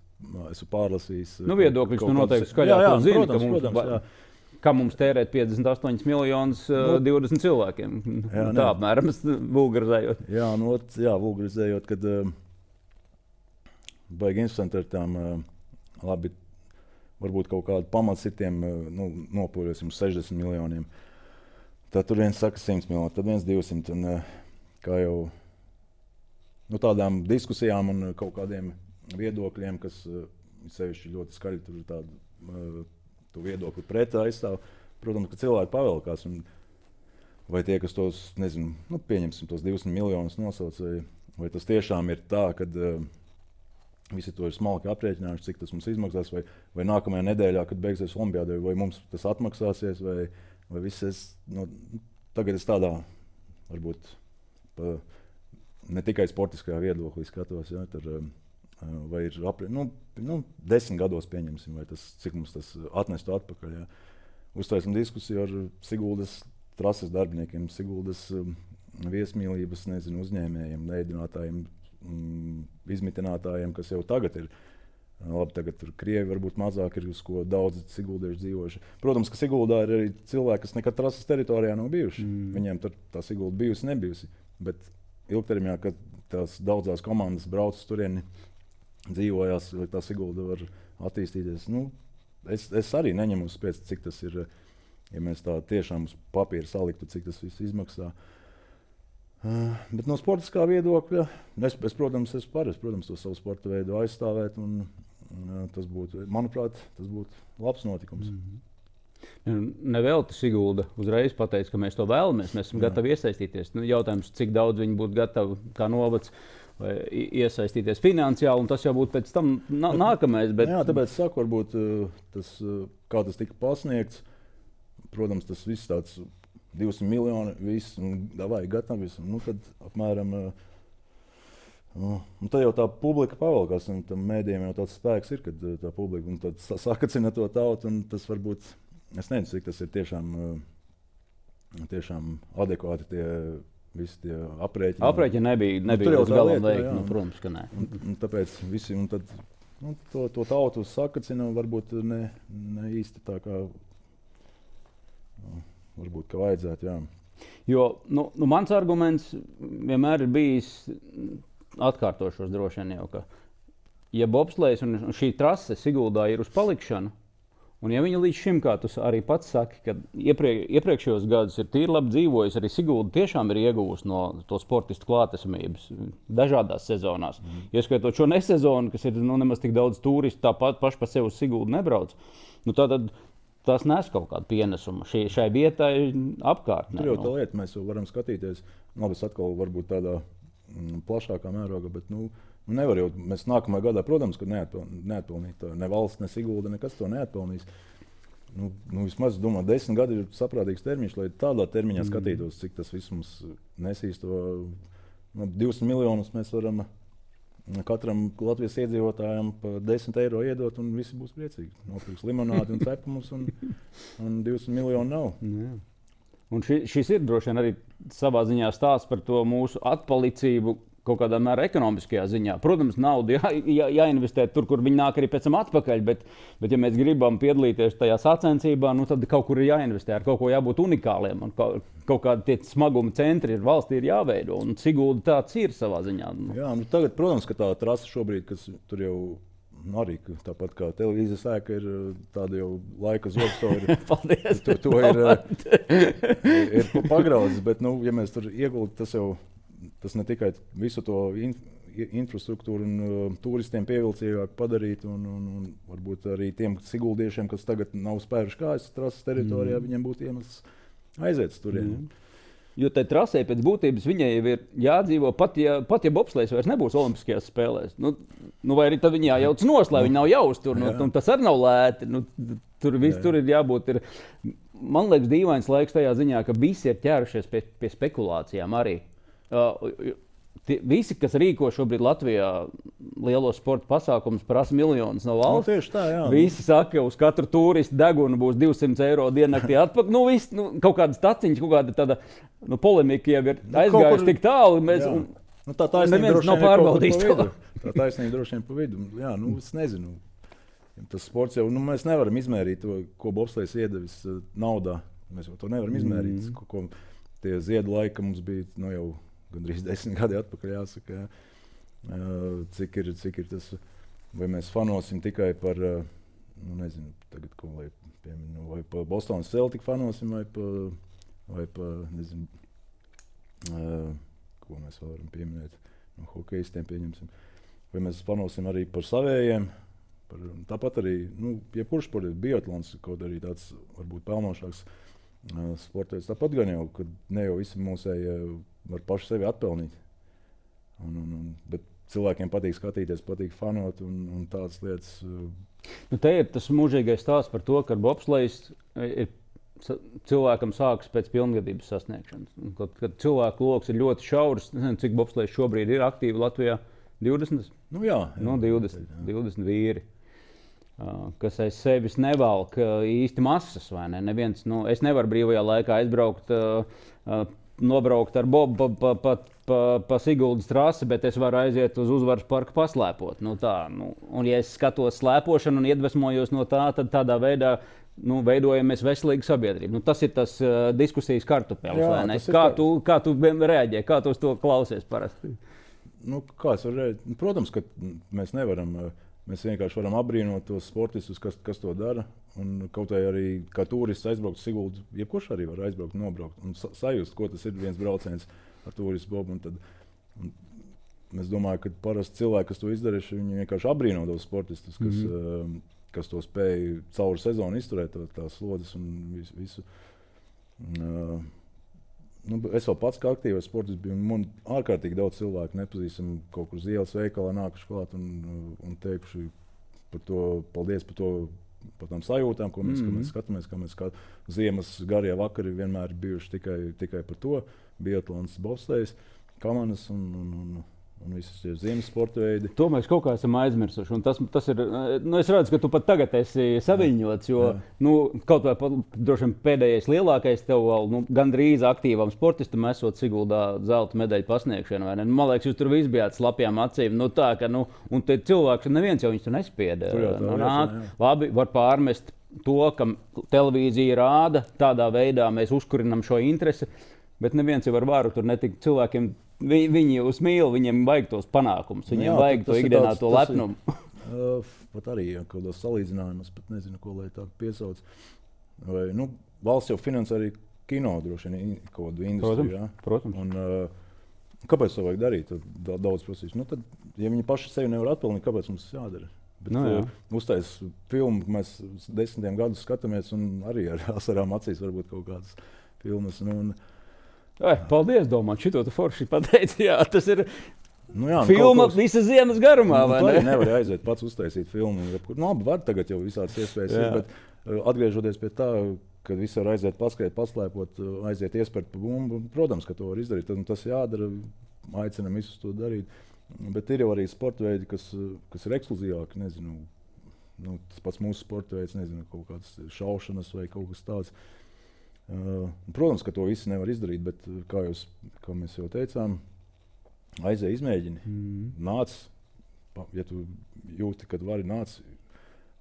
S1: esmu pārlasījis.
S2: Nu, viedokļus nu noteikti skaļāk to zini, protams, ka mums, protams, jā. Kā mums tērēt piecdesmit astoņus miljonus nu, divdesmit cilvēkiem. Jā, tā apmēram vulgarizējot.
S1: Jā, nu, jā, vulgarizējot, kad uh, baigi interesanti ar tām uh, labi, varbūt kaut kādu pamatsitiem uh, nu, nopūļosim sešdesmit miljoniem. Tad tur viens saka simt miljoni, tad viens divsimt. Un, kā jau nu, tādām diskusijām un kaut kādiem viedokļiem, kas sevišķi ļoti skaļi tur tādu to viedokli pret aizstāv, protams, ka cilvēki pavelkās. Un, vai tie, kas tos, nezinu, nu, pieņemsim tos divsimt miljonus nosauc, vai, vai tas tiešām ir tā, kad uh, visi to ir smalki aprēķinājuši, cik tas mums izmaksās, vai, vai nākamajā nedēļā, kad beigsies olimpiādē, vai mums tas atmaksāsies, vai Vai viss es, nu, tagad es tādā, varbūt, pa, ne tikai sportiskajā viedoklī skatos, ja, tur, vai ir apri, nu, nu, desmit gados pieņemsim, vai tas, cik mums tas atnestu atpakaļ. Ja. Uztaisim diskusiju ar Siguldas trases darbiniekiem, Siguldas um, viesmīlības, nezinu, uzņēmējiem, ēdinātājiem, mm, izmitinātājiem, kas jau tagad ir. Labi, tagad tur Krievi varbūt mazāk ir, uz ko daudzi siguldieši dzīvojuši. Protams, ka Siguldā ir arī cilvēki, kas nekad trases teritorijā nav bijuši. Mm. Viņiem tur tā Sigulda bijusi, nebijusi. Bet ilgtermiņā, kad tās daudzās komandas brauc uz turieni, dzīvojās, lai tā Sigulda var attīstīties. Nu, es, es arī neņemu uz pēc, cik tas ir, ja mēs tā tiešām uz papīra saliktu, cik tas viss izmaksā. Uh, bet no sportiskā viedokļa, es, es protams, esmu par, es, protams, to savu sporta veidu aizstāvēt, un uh, tas būtu, manuprāt, tas būtu labs notikums.
S2: Mm-hmm. Nevelti Sigulda uzreiz pateica, ka mēs to vēlamies, mēs esam Jā. Gatavi iesaistīties. Nu, jautājums, cik daudz viņi būtu gatavi kā novads iesaistīties finansiāli, un tas jau būtu pēc tam nā, nākamais. Bet...
S1: Jā, tāpēc saku, varbūt tas, kā tas tika pasniegts, protams, tas viss tāds divsimt miljoni, viss, un davai, gatavi, nu tad apmēram, nu, un tad jau tā publika pavalkās, un tam mēdījiem jau tāds spēks ir, kad tā publika, un tad sakacina to tautu, un tas varbūt, es nezinu, cik tas ir tiešām, tiešām adekvāti tie visi tie aprēķini.
S2: Aprēķini nebija, nebija līdz galam veikti, nu, protams, ka nē.
S1: Un, un tāpēc visi, un tad, nu, to, to tautu sakacina, varbūt ne, ne īsti tā kā, nu, varbūt, ka vajadzētu, jā.
S2: Jo, nu, nu mans arguments vienmēr ir bijis, atkārtošos droši vien jau, ka, ja bobslejs un šī trase Siguldā ir uz palikšanu, un ja viņa līdz šim, kā tu arī pats saki, ka iepriek, iepriekšējos gadus ir tīri labi dzīvojusi, arī Sigulda tiešām ir ieguvusi no to sportistu klātesamības dažādās sezonās. Mm. Ieskaitot šo nesezonu, kas ir nu, nemaz tik daudz turistu, tāpat paši pa sevi uz Siguldu nebrauc, nu tātad tas nes kaut kādu pienesumu šai, šai vietai apkārtnē.
S1: Tur jau tā lieta, mēs jau varam skatīties, labi, es atkal varbūt tādā mm, plašākā mēroga, bet nu, Nu, nevar jau, mēs nākamajā gadā, protams, ka neatpil, neatpilnīt. Ne valsts, ne Sigulda, nekas to neatpilnīs. Nu, nu, vismaz, domāju, desmit gadi ir saprātīgs termiņš, lai tādā termiņā mm. skatītos, cik tas viss mums nesīs to. Nu, divsimt miljonus mēs varam katram Latvijas iedzīvotājam pa desmit eiro iedot, un visi būs priecīgi. Nopirks limonādi un cepumus, un, un divsimt miljonu nav.
S2: Jā. Un ši, šis ir droši vien arī savā ziņā stāsts par to mūsu atpalicību, kaut kādā mērā ekonomiskajā ziņā. Protams, naudu jā, jā, jāinvestē tur, kur viņi nāk arī pēc tam atpakaļ, bet, bet ja mēs gribam piedalīties tajā sacensībā, nu tad kaut kur ir jāinvestē, ar kaut ko jābūt unikāliem, un kaut, kaut kādi tie smaguma centri ir valstī ir jāveido, un Sigulda tāds ir savā ziņā.
S1: Jā, nu tagad, protams, ka tā trasa šobrīd, kas tur jau arī tāpat kā televīzijas ēka ir tāda jau laika zobstori.
S2: Paldies!
S1: To, to ir, ir pagraudzis, bet, nu, ja mēs tur ieguldi, tas jau Tas ne tikai visu to in, infrastruktūru un uh, turistiem pievilcīgāk padarīt, un, un, un varbūt arī tiem siguldiešiem, kas tagad nav spēruši kājas trases teritorijā, mm. viņiem būtu iemesls aiziet turien. Mm.
S2: Jo tai trasē pēc būtības viņai jau ir jādzīvo, pat ja, pat ja bobslejs vairs nebūs olimpiskajās spēlēs. Nu, nu vai arī tad viņi jājauc nos, lai viņi nav jāuztur, nu, nu, tas arī nav lēti. Nu, tur viss tur ir jābūt. Ir, man liekas, dīvains laiks tajā ziņā, ka visi ir ķērušies pie, pie spekulācijām arī. Uh, tie, visi, kas rīko šobrīd Latvijā lielos sporta pasākumus, prasa miljonus no valsts.
S1: Nu, tieši tā, jā.
S2: Visi saka, ka uz katru turistu degunu būs divsimt eiro diennaktī atpakaļ. Nu, viss, nu, kaut kādas taciņas, kaut kāda tāda nu, polemika jau ir nu, aizgājuši tik tālu. Mēs, un,
S1: nu, tā taisnība droši
S2: nav pārbaudījis to.
S1: Tā taisnība droši vien pa vidu. Jā, nu, es nezinu. Tas sports jau, nu, mēs nevaram izmērīt to, ko bobslejs iedevis naudā. Mēs to nevaram izmērīt. Mm. Ko, ko, tie ziedu laika mums bija nu, jau gandrīz desmit gadi atpakaļ jāsaka, jā. Cik ir, cik ir tas, vai mēs fanosim tikai par, nu nezinu, tagad ko lai pieminu, vai pa Bostonas Celtic fanosim, vai pa, vai pa, nezinu, ko mēs varam pieminēt, no hokejistiem pieņemsim, vai mēs fanosim arī par savējiem, par, tāpat arī, nu, jebkurš sports, biatlons, kaut arī tāds varbūt pelnošāks sports, tāpat gan jau, kad ne jau visi mūsēji var paši sevi atpelnīt. Un, un, un, bet cilvēkiem patīk skatīties, patīk fanot un, un tādas lietas.
S2: Nu, te ir tas mūžīgais stāsts par to, ka bobslejs ir cilvēkam sākas pēc pilngadības sasniegšanas. Kad, kad cilvēku loks ir ļoti šaurs, nezinu, cik bobslejs šobrīd ir aktīvi Latvijā, divdesmit?
S1: Nu jā. jā
S2: nu, divdesmit, jā. divdesmit vīri. Uh, kas aiz sevis nevalk uh, īsti masas, vai ne? Neviens, nu, es nevaru brīvajā laikā aizbraukt uh, uh, nobraukt ar Bobu pa, pa, pa, pa, pa Siguldas trasi, bet es varu aiziet uz Uzvaras parku paslēpot. Nu, tā, nu, un ja es skatos slēpošanu un iedvesmojos no tā, tad tādā veidā nu, veidojamies veselīgu sabiedrību. Nu, tas ir tas uh, diskusijas kartupelis, vai ne? Kā tu, kā tu reaģē, kā tu uz to klausies parasti?
S1: Nu, kā es varu reaģēt? Protams, ka mēs nevaram, mēs vienkārši varam apbrīnot tos sportistus, kas, kas to dara. Un kaut arī kā turists aizbraukt uz Siguldu, jebkurš arī var aizbraukt un nobraukt. Un sajust, ko tas ir viens brauciens ar turistu Bobu. Un tad, un es domāju, ka parasti cilvēki, kas to izdarījuši, viņi vienkārši apbrīno tos sportistus, kas, mm-hmm. uh, kas to spēj cauri sezonu izturēt, tās slodzes un visu. visu. Uh, nu, es vēl pats kā aktīvais sportists biju, un man ārkārtīgi daudz cilvēku nepazīstam kaut kur uz ielas veikalā nākuši klāt un, un teikuši par to, paldies par to, par tām sajūtām, ko mēs, mm-hmm. ko mēs skatāmies, kā mēs skatāmies. Ziemas garie vakari vienmēr ir bijuši tikai, tikai par to. Biatlons, bobslejs, kamanas un, un, un, un visas tie ziemas sporta veidi.
S2: To mēs kaut kā esam aizmirsuši. Un tas, tas ir, nu, es redzu, ka tu pat tagad esi saviņots, jo nu, kaut vai droši vien pēdējais lielākais tev vēl nu, gandrīz aktīvam sportistam esot Siguldā zelta medaļu pasniegšana. Vai ne? Man liekas, jūs tur visi bijāt slapjām acīm. Nu, tā, ka, nu, un te cilvēks, neviens jau viņus tur nespieda. Nu, nāk, labi, var pārmest to, ka televīzija rāda, tādā veidā mēs uzkurinam šo interesi, bet neviens jau ar varu tur netika cilvēkiem. Vi, viņi jūs mīl, viņiem vajag tos panākumus, viņiem jā, vajag to ikdienā to lepnumu.
S1: Uh, pat arī ja, kaut kādos salīdzinājumus, pat nezinu, ko lai tā piesauc. Vai, nu, valsts jau finansē arī kino droši vien kaut kādu industriju. Jā.
S2: Protams.
S1: Un, uh, kāpēc to vajag darīt? Tad daudz prasīs. Nu, tad, ja viņi paši sevi nevar atpelnīt, kāpēc mums tas jādara? Bet,
S2: nu, jā.
S1: uh, uztais filmu, mēs desmitiem gadus skatāmies un arī ar asarām acīs varbūt kaut kādas filmas. Nu, un,
S2: Ai, paldies, domāt, šito tu forši pateici. Jā, tas ir
S1: nu jā,
S2: filma
S1: kaut,
S2: visas ziemas garumā,
S1: nu,
S2: vai
S1: ne?
S2: ne?
S1: Nevar aiziet pats uztaisīt filmu. Nu, labi, var tagad jau visādas iespējas ir, bet uh, atgriežoties pie tā, kad visi var aiziet paskriet, paslēpot, uh, aiziet iespērt pa bumbu, protams, ka to var izdarīt, tad tas jādara, aicinam visus to darīt. Bet ir jau arī sporta veidi, kas, kas ir ekskluzīvāki, nezinu, nu, tas pats mūsu sporta veids, nezinu, kaut kāds šaušanas vai kaut kas tāds. Uh, protams, ka to visi nevar izdarīt, bet, kā, jūs, kā mēs jau teicām, aizēj izmēģini. Mm. Nāc, ja tu jūti, kad vari nāc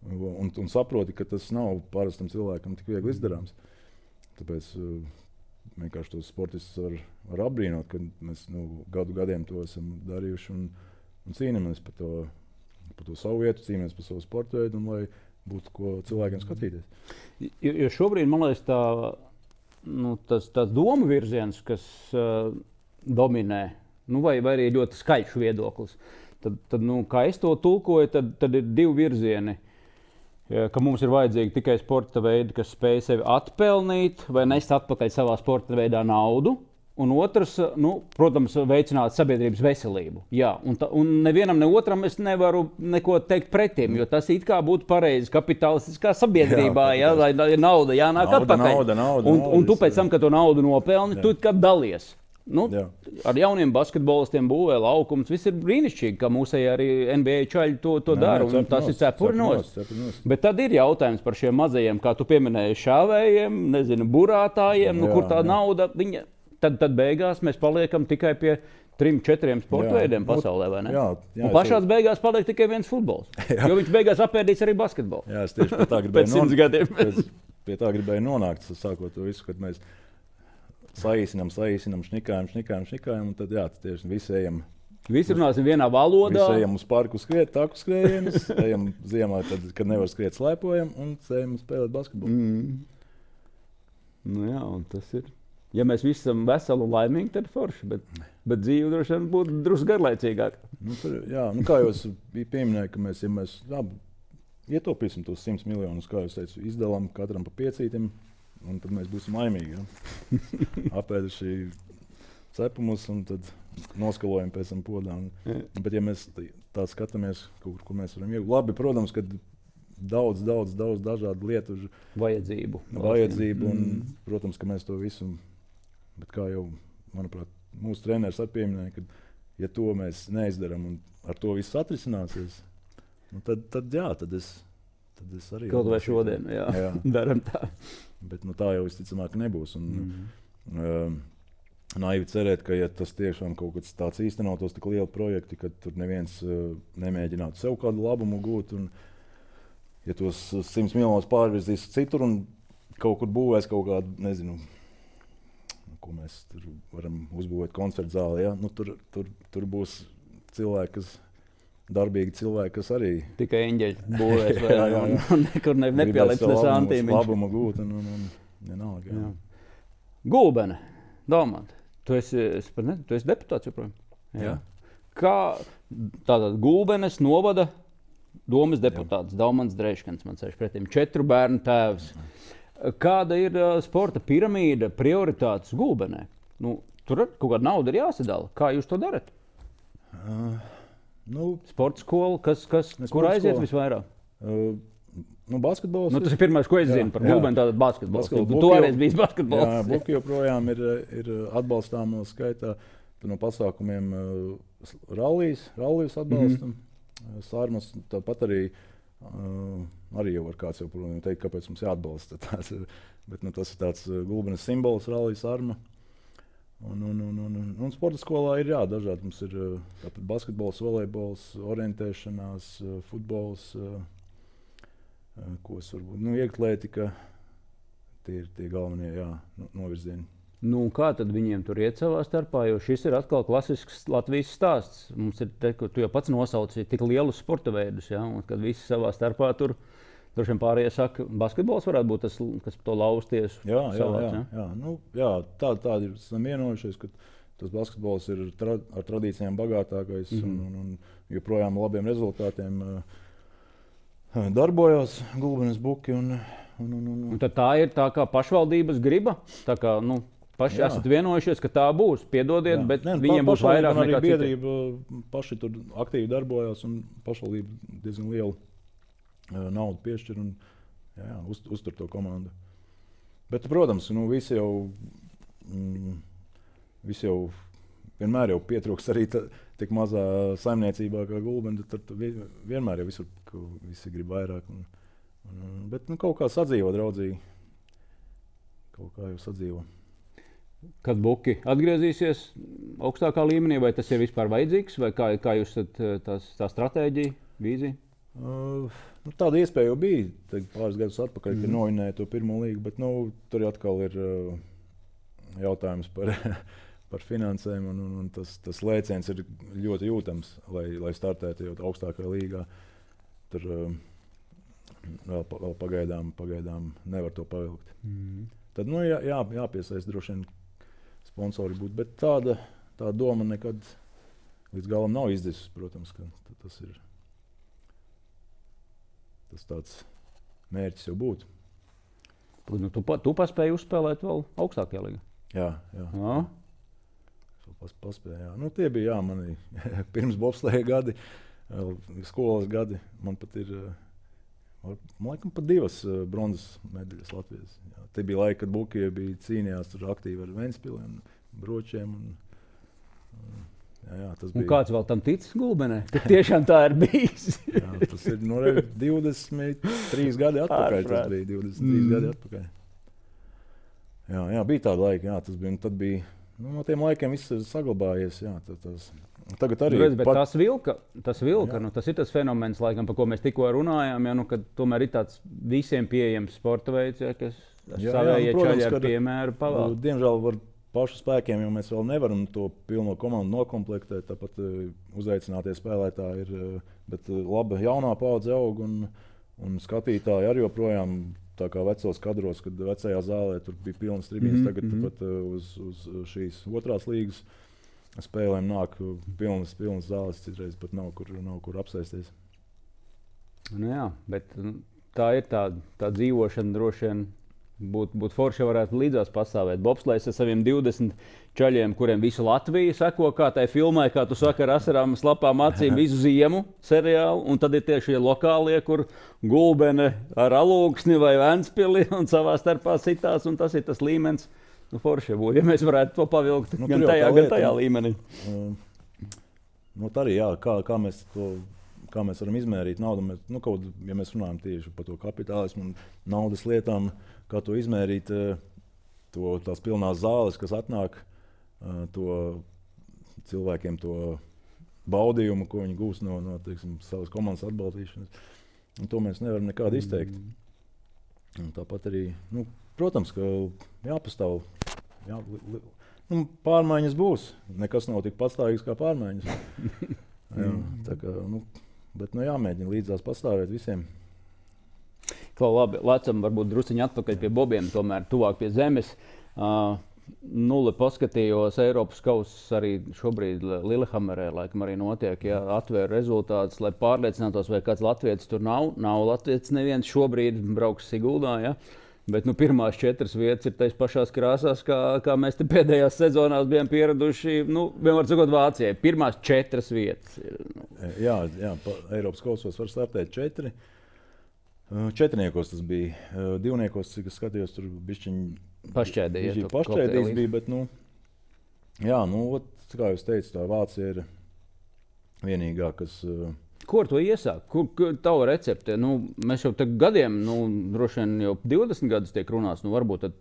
S1: un, un saproti, ka tas nav parastam cilvēkam tik viegli izdarāms. Tāpēc uh, vienkārši tos sportistus var, var apbrīnot, ka mēs nu, gadu gadiem to esam darījuši un, un cīnāmies par to, par to savu vietu, cīnāmies par savu sporta veidu un lai būtu ko cilvēkiem skatīties.
S2: Jo, jo šobrīd, man liekas, tā Nu, tas, tas domu virziens, kas uh, dominē, nu, vai, vai arī ļoti skaļš viedoklis, tad, tad nu, kā es to tulkoju, tad, tad ir divi virzieni. Ja, ka mums ir vajadzīgi tikai sporta veidi, kas spēj sevi atpelnīt vai nest atpakaļ savā sporta veidā naudu. Un otrs, nu, protams, veicināt sabiedrības veselību. Jā, un, ta, un nevienam, ne otram es nevaru neko teikt pretim, jo tas it kā būtu pareizi kapitalistiskā sabiedrībā, jā, lai ja, nauda jānāk
S1: nauda,
S2: atpakaļ.
S1: Nauda, nauda,
S2: un,
S1: nauda,
S2: un tu pēc tam, kad to naudu nopelni, jā. Tu kā dalies. Nu, jā. Ar jauniem basketbolistiem būvē laukums, viss ir brīnišķīgi, ka mūsēji arī N B A čaļi to, to dara, un tas ir cepurinos. Bet tad ir jautājums par šiem mazajiem, kā tu pieminēji, šāvējiem, nezinu, burātājiem, nu, jā, kur tā jā. Nauda, viņa... Tad, tad beigās mēs paliekam tikai pie trim, četriem sporta veidiem pasaulē, vai ne?
S1: Jā, jā,
S2: un pašās beigās paliek tikai viens futbols. Jā. Jo viņš beigās apēdīs arī basketbolu.
S1: Jā, es tieši pie tā gribēju, non... pēc, pie tā gribēju nonākt, sākot to visu, kad mēs saīsinām, saīsinām, šņikājam, šņikājam, šņikājam, un tad jā, tieši visi ejam.
S2: Visi runāsim vienā valodā.
S1: Visi ejam uz parku skriet, taku skrējienus, ejam ziemā, tad, kad nevar skriet, slēpojam, un ejam spēlēt basketbolu.
S2: Mm. Nu jā, un tas ir. Ja mēs visi esam veseli un laimīgi, tad forši, bet, bet dzīve droši vien būtu drusku garlaicīgāka.
S1: Nu, tur, jā, nu kā jūs pieminējāt, ka mēs, ja mēs labi, ietaupīsim tos simts miljonus, kā jūs teicu, izdalām katram pa piecītim, un tad mēs būsim laimīgi. Ja? Apēduši cepumus un tad noskalojam pēc tam podā. Un, bet ja mēs tā skatāmies, kaut kur, kur mēs varam iegūt, labi, protams, ka daudz, daudz, daudz dažādu lietu.
S2: Vajadzību.
S1: Vajadzību un, mm. protams, ka mēs to visu. Bet kā jau, manuprāt, mūsu treneris arī pieminēja, ka, ja to mēs neizdarām un ar to viss atrisināsies, nu tad, tad jā, tad es, tad es arī...
S2: Kaut vai šodien, jā, jā. Daram tā.
S1: Bet nu, tā jau visticamāk nebūs. Un, mm. uh, naivi cerēt, ka ja tas tiešām kaut kas tāds īstenotos, tik lieli projekti, ka tur neviens uh, nemēģinātu sev kādu labumu gūt. Un, ja tos simts miljonus pārvirzīs citur un kaut kur būvēs kaut kādu, nezinu, ko mēs tur varam uzbūvēt koncertu zāli, ja? Nu, tur, tur, tur būs cilvēki, kas darbīgi cilvēki, kas arī
S2: tikai eņģeļi būvēs, vai jā, jā, jā. Un nekur ne, nepieliks ne santīmiņš.
S1: Labumu gūt un, un, un vienalga. Jā.
S2: Jā. Gulbene, Daumant, tu esi, ne, tu esi deputāts joprojām?
S1: Jā.
S2: Kā tātad Gulbenes novada domas deputāts, Daumants Dreiškans, man sēž pretim, četru bērnu tēvs. Kāda ir uh, sporta piramīda, prioritātes Gulbenē? Nu, tur kaut kāda nauda ir jāsadala. Kā jūs to darat?
S1: Uh, nu,
S2: sporta skola, kas, kas, kur aiziet skola. Visvairāk?
S1: Uh, nu, basketbols.
S2: Nu, tas ir pirmais, ko es zinu jā, par Gulbeni, tātad basketbols.
S1: basketbols.
S2: Tu arī biji basketbols.
S1: Jā, Buki joprojām ir, ir atbalstāmo skaitā. No pasākumiem uh, rallijas, rallijas atbalstam. Mm-hmm. Sārmas tāpat arī, uh, arī jau var kāds jau teikt, kāpēc mums jāatbalsta. Tās, bet nu, tas ir tāds Gulbenes simbols, rallijas arma. Un, un, un, un, un sporta skolā ir jā, dažādi. Mums ir tāpat basketbols, volejbols, orientēšanās, futbols, uh, ko es varbūt, nu, ieklētika. Tie ir tie galvenie jā, novirzieni.
S2: Nu, kā tad viņiem tur iet savā starpā, jo šis ir atkal klasisks Latvijas stāsts. Mums ir, te, ko tu jau pats nosauci, tik lielus sporta veidus, ja? Un kad visi savā starpā tur, droši vien pārējie saka, basketbols varētu būt tas, kas to lausties.
S1: Jā, jā,
S2: savāc,
S1: jā,
S2: ja?
S1: jā. Nu, jā tā, tādi ir esam vienojušies, ka tas basketbols ir tra, ar tradīcijām bagātākais mm-hmm. un, un, un joprojām labiem rezultātiem uh, darbojās Gulbenes Buki. Un, un, un, un,
S2: un tad tā ir tā kā pašvaldības griba, tā kā, nu, paši jā. Esat vienojušies, ka tā būs. Piedodiet, jā. Bet ne, viņiem būs vairāk nekā citi.
S1: Biedrība paši tur aktīvi darbojās un pašvaldība diezgan lielu uh, naudu piešķir un jā, jā, uz, uztur to komandu. Bet, protams, nu, visi jau, mm, visi jau vienmēr jau pietrūks arī ta, tik mazā saimniecībā kā Gulbene. Tad, tad vienmēr jau visur, visi grib vairāk. Un, un, bet nu, kaut kā sadzīvo draudzīgi. Kaut kā jau sadzīvo.
S2: Kad Buki atgriezīsies augstākā līmenī, vai tas ir vispār vajadzīgs, vai kā, kā jūs esat tās, tā stratēģija, vīzija?
S1: Uh, nu, tāda iespēja jau bija pāris gadus atpakaļ, mm. kad novinēja to pirmo līgu, bet nu, tur atkal ir uh, jautājums par, par finansēm, un, un, un tas, tas lēciens ir ļoti jūtams, lai, lai startētu jau augstākajā līgā. Tur uh, vēl, vēl pagaidām, pagaidām nevar to pavilkt. Mm. Tad nu, jā, jā, jāpiesaist droši vien sponsori būt, bet tāda, tāda doma nekad līdz galam nav izdevusies, protams, ka tas ir tas tāds mērķis jau būt.
S2: Nu, tu, tu paspēji uzspēlēt vēl augstākajā līgā?
S1: Jā, jā.
S2: jā.
S1: Pas, paspēju, jā. Nu, tie bija jā, mani pirms bobsleja gadi, skolas gadi. Man pat ir, man laikam, pat divas bronzas medaļas Latvijas. Jā. Te bija laika, kad Buki bija cīnījās tur aktīvi ar Ventspili, Bročiem. Un, un, jā, jā, tas bija.
S2: Un kāds vēl tam tic Gulbenē? Tiešām tā ir bijis.
S1: Jā, tas ir no divdesmit trīs gadi atpakaļ. Tas bija divdesmit trīs mm. gadi atpakaļ. Jā, jā, bija tāda laika, jā, tas bija. Un tad bija, nu, no tiem laikiem viss ir saglabājies. Jā, tad, tas, tagad arī.
S2: Redz, bet pat... tas vilka, tas vilka, nu, tas ir tas fenomens, laikam, par ko mēs tikko runājām, ja, nu, kad tomēr ir tāds visiem pieejams sporta veids, ja, kas savējie nu, čaļi ar piemēru pavēl.
S1: Diemžēl var pašu spēkiem, jo mēs vēl nevaram to pilno komandu nokomplektēt, tāpat uh, uzaicinātie spēlētāji ir, uh, bet uh, laba jaunā paudze aug un, un skatītāji arī joprojām tā kā vecos kadros, kad vecajā zālē tur bija pilnas tribīnes, mm-hmm. tagad tāpat uh, uz, uz šīs otrās līgas spēlēm nāk pilnas, pilnas zāles, citreiz pat nav kur, nav kur apsēsties.
S2: Nu jā, bet tā ir tā, tā dzīvošana droši vien. Būtu būt forši, varētu līdzās pastāvēt. Bobslejs ar saviem divdesmit čaļiem, kuriem visu Latviju seko, kā tai filmai, kā tu saki, ar asarām slapām acīm visu ziemu seriālu. Un tad ir tieši lokālie, kur Gulbene ar Alūksni vai Ventspili un savā starpā sitās. Un tas ir tas līmenis. Nu, forši būtu, ja mēs varētu to pavilkt nu, gan tajā, gan tajā līmenī.
S1: Uh, nu, tā arī, jā, kā, kā mēs to... Kā mēs varam izmērīt naudu, mēs, nu, kaut, ja mēs runājam tieši par to kapitālismu un naudas lietām, kā to izmērīt, to, tās pilnās zāles, kas atnāk, uh, to cilvēkiem to baudījumu, ko viņi gūs no, no teiksim, savas komandas atbalstīšanas. Un to mēs nevaram nekādi izteikt. Un tāpat arī, nu, protams, ka jāpastāv. Jā, li, li, nu, pārmaiņas būs. Nekas nav tik patstāvīgs kā pārmaiņas. Jā, tā kā, nu, bet nu, jāmēģina līdzās pastāvēt visiem.
S2: Klau, labi, lecam varbūt drusciņi atpakaļ pie bobiem, tomēr tuvāk pie zemes. Uh, Nulle paskatījos Eiropas kausus arī šobrīd Lillehammerē, laikam arī notiek, ja atvēra rezultātus, lai pārliecinātos, vai kāds latvietis tur nav. Nav latvietis neviens šobrīd brauks Siguldā, ja? Bet nu, pirmās četras vietas ir tais pašās krāsās, kā, kā mēs te pēdējās sezonās bijām pieraduši, nu, vienmēr sakot Vācijai, pirmās četras vietas. Ir, nu.
S1: Jā, jā, pa Eiropas kausos var startēt četri. Četrniekos tas bija. Divniekos, cik es skatījos, tur bišķiņi
S2: pašķēdējies.
S1: Pašķēdējis bija, bet, nu, jā, nu, kā jūs teicu, tā Vācija ir vienīgā, kas...
S2: Ko ar to iesāk? Kur, kur tava recepte? Nu, mēs jau gadiem, nu, droši vien jau divdesmit gadus tiek runāts, nu, varbūt tad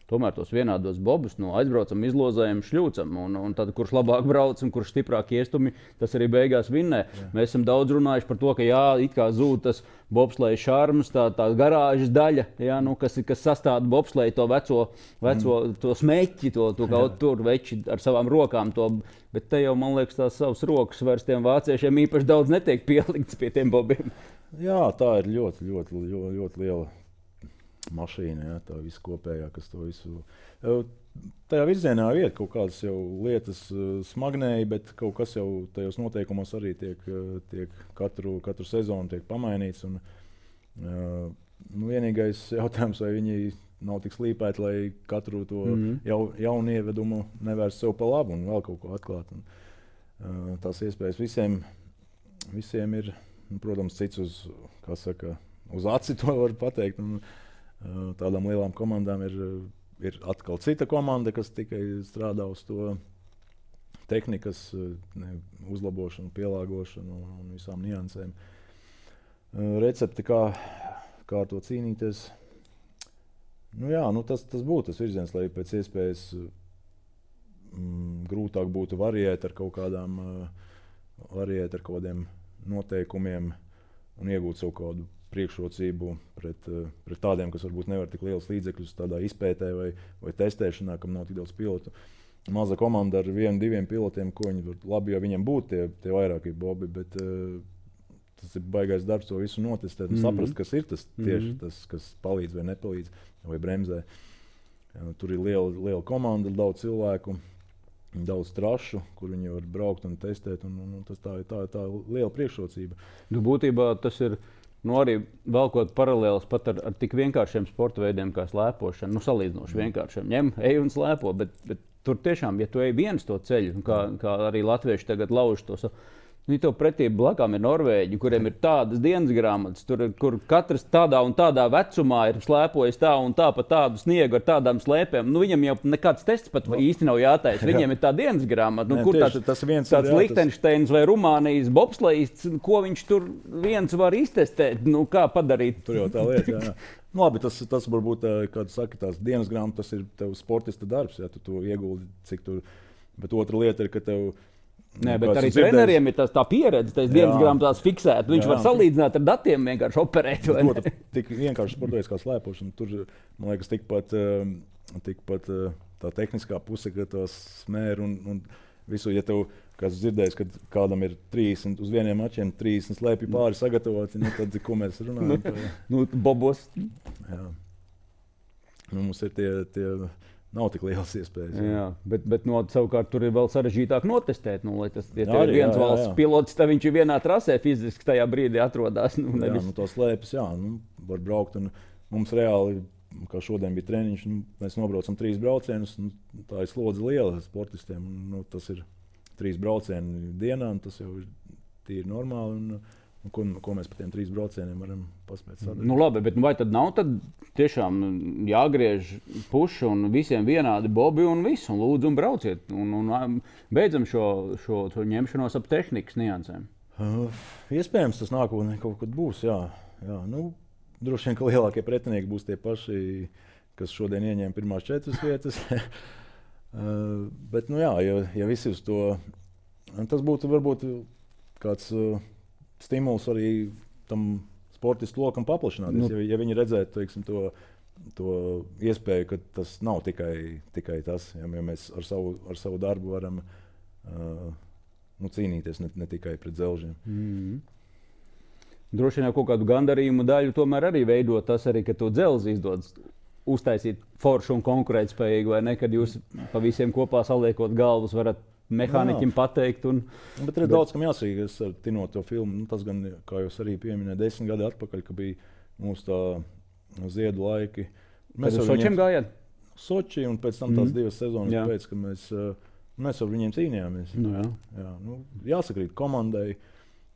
S2: tomēr tos vienādos bobus, nu, aizbraucam, izlozējam, šļūcam, un, un tad, kurš labāk brauc un kurš stiprāk iestumi, tas arī beigās vinnē. Jā. Mēs esam daudz runājuši par to, ka jā, it kā zūd tas bobsleja šarms, tā, tā garāžas daļa, jā, nu, kas, kas sastāda bobsleja to veco, veco mm. to smeķi, to, to kaut tur veči ar savām rokām, to, bet te jau, man liekas, tās savas rokas vairs tiem vāciešiem īpaši daudz netiek pielikts pie tiem bobiem.
S1: Jā, tā ir ļoti, ļoti, ļoti, ļoti liela mašīna, jā, tā visu kopējā, kas to visu... Tajā virzienā iet kaut kādas jau lietas smagnēji, bet kaut kas jau tajos noteikumos arī tiek, tiek katru, katru sezonu tiek pamainīts. Un, nu, vienīgais jautājums, vai viņi nav tik slīpēti, lai katru to mm-hmm. jau, jaunu ievedumu nevērst sev pa labu un vēl kaut ko atklāt. Un, tās iespējas visiem, visiem ir, un, protams, cits uz, kā saka, uz aci to var pateikt. Un, tādām lielām komandām ir, ir atkal cita komanda, kas tikai strādā uz to tehnikas ne, uzlabošanu, pielāgošanu un visām niansēm. Recepti, kā, kā ar to cīnīties. Nu jā, nu tas, tas būtu tas virziens, lai pēc iespējas mm, grūtāk būtu variēt ar kaut kādām, variēt ar kaut kādiem noteikumiem un iegūt savu kādu priekšrocību pret, pret tādiem, kas varbūt nevar tik liels līdzekļus tādā izpētē vai, vai testēšanā, kam nav tik daudz pilotu. Maza komanda ar vienu, diviem pilotiem, ko viņi var labi, ja viņiem būtu tie, tie vairākie bobi, bet uh, tas ir baigais darbs to visu notestēt un mm-hmm. saprast, kas ir tas tieši mm-hmm. tas, kas palīdz vai nepalīdz vai bremzē. Uh, tur ir liela, liela komanda, daudz cilvēku, daudz trašu, kur viņi var braukt un testēt, un, un, un tas tā ir tā, tā liela priekšrocība.
S2: Nu, būtībā tas ir Nu, arī velkot paralēlus pat ar, ar tik vienkāršiem sporta veidiem kā slēpošana, nu, salīdzinoši vienkāršiem. Ņem, ej un slēpo, bet, bet tur tiešām, ja tu ej viens to ceļu, kā, kā arī latvieši tagad lauž to savu, nu, tev pretī blakām ir Norvēģi, kuriem ir tādas dienas grāmatas, tur, kur katrs tādā un tādā vecumā ir slēpojis tā un tā pa tādu sniegu ar tādām slēpēm. Nu, viņam jau nekāds tests pat no. īsti nav jātaisa. Viņiem ir tā dienas grāmata. Nu,
S1: Nē,
S2: kur
S1: tieši,
S2: tāds,
S1: tas viens
S2: tāds
S1: ir, jā,
S2: Lihtenšteins tas... vai Rumānijas bobslejists, ko viņš tur viens var iztestēt, nu, kā padarīt.
S1: Tur jau tā lieta, jā. jā. Nu, labi, tas, tas varbūt, kā tu saki, tās dienas grāmatas, tas ir tev sportista darbs, ja tu to ieguldi, cik tur, bet otra lieta ir, ka tev
S2: Nē, bet arī treneriem ir tās, tā pieredze, tas dienas grāmatās fiksēt. Viņš jā, var salīdzināt ar datiem, vienkārši operēt.
S1: To, tik vienkārši sportojas kā slēpošana. Tur, man liekas, tikpat, tikpat tā tehniskā puse, ka tās smēri un, un visu, ja tev, kāds dzirdējis, kad kādam ir trīsdesmit uz vieniem mačiem, trīsdesmit slēpju pāri sagatavoti, nu, tad, ko mēs runājam?
S2: Par... nu, bobos.
S1: Jā. Nu, mums ir tie... tie Nav tik liels iespējas.
S2: Jā, jā bet, bet no, savukārt tur ir vēl sarežģītāk notestēt. Nu, lai tas, ja tev ir viens jā, valsts jā. pilots, tad viņš ir vienā trasē fiziski tajā brīdī atrodas. Nu,
S1: jā, nu to slēpes, jā, nu, var braukt. Un mums reāli, kā šodien bija treniņš, nu, mēs nobraucam trīs braucienus. Nu, tā ir slodze liela sportistiem. Nu, tas ir trīs braucieni dienā, un tas jau ir tīri normāli. Un, un ko, ko mēs par tiem trīs braucieniem varam paspēt sadarīt.
S2: Nu labi, bet vai tad nav tad tiešām jāgriež puši un visiem vienādi bobi un viss, un lūdzu un brauciet, un, un beidzam šo, šo, šo ņemšanos ap tehnikas niansēm?
S1: Uh, iespējams, tas nākotnē kaut kad būs, jā. jā. Nu, droši vien, ka lielākie pretinieki būs tie paši, kas šodien ieņēma pirmās četras vietas. Uh, bet, nu jā, ja, ja visi uz to, tas būtu varbūt kāds uh, stimuls arī tam sportistu lokam paplašināties. Nu, ja, ja viņi redzētu, teiksim, to, to iespēju, ka tas nav tikai, tikai tas, ja, ja mēs ar savu, ar savu darbu varam uh, nu, cīnīties ne, ne tikai pret dzelžiem.
S2: Mm. Droši vien jau kaut kādu gandarījumu daļu tomēr arī veido tas, arī, ka to dzelzi izdodas uztaisīt foršu un konkurētspējīgu, vai ne, kad jūs pa visiem kopā saliekot galvas varat mehāniķim pateikt. Un,
S1: bet ir bet... daudz, kam jāsīgas ar Tino to filmu. Nu, tas gan, kā jūs arī pieminējāt, desmit gadi atpakaļ, ka bija mūsu tā ziedu laiki.
S2: Mēs ar Sočiem gājāt?
S1: Soči un pēc tam tās mm. divas sezonas
S2: jā.
S1: Pēc, ka mēs, mēs ar viņiem cīnījāmies.
S2: Nu, jā.
S1: Jā, nu, jāsakrīt komandai.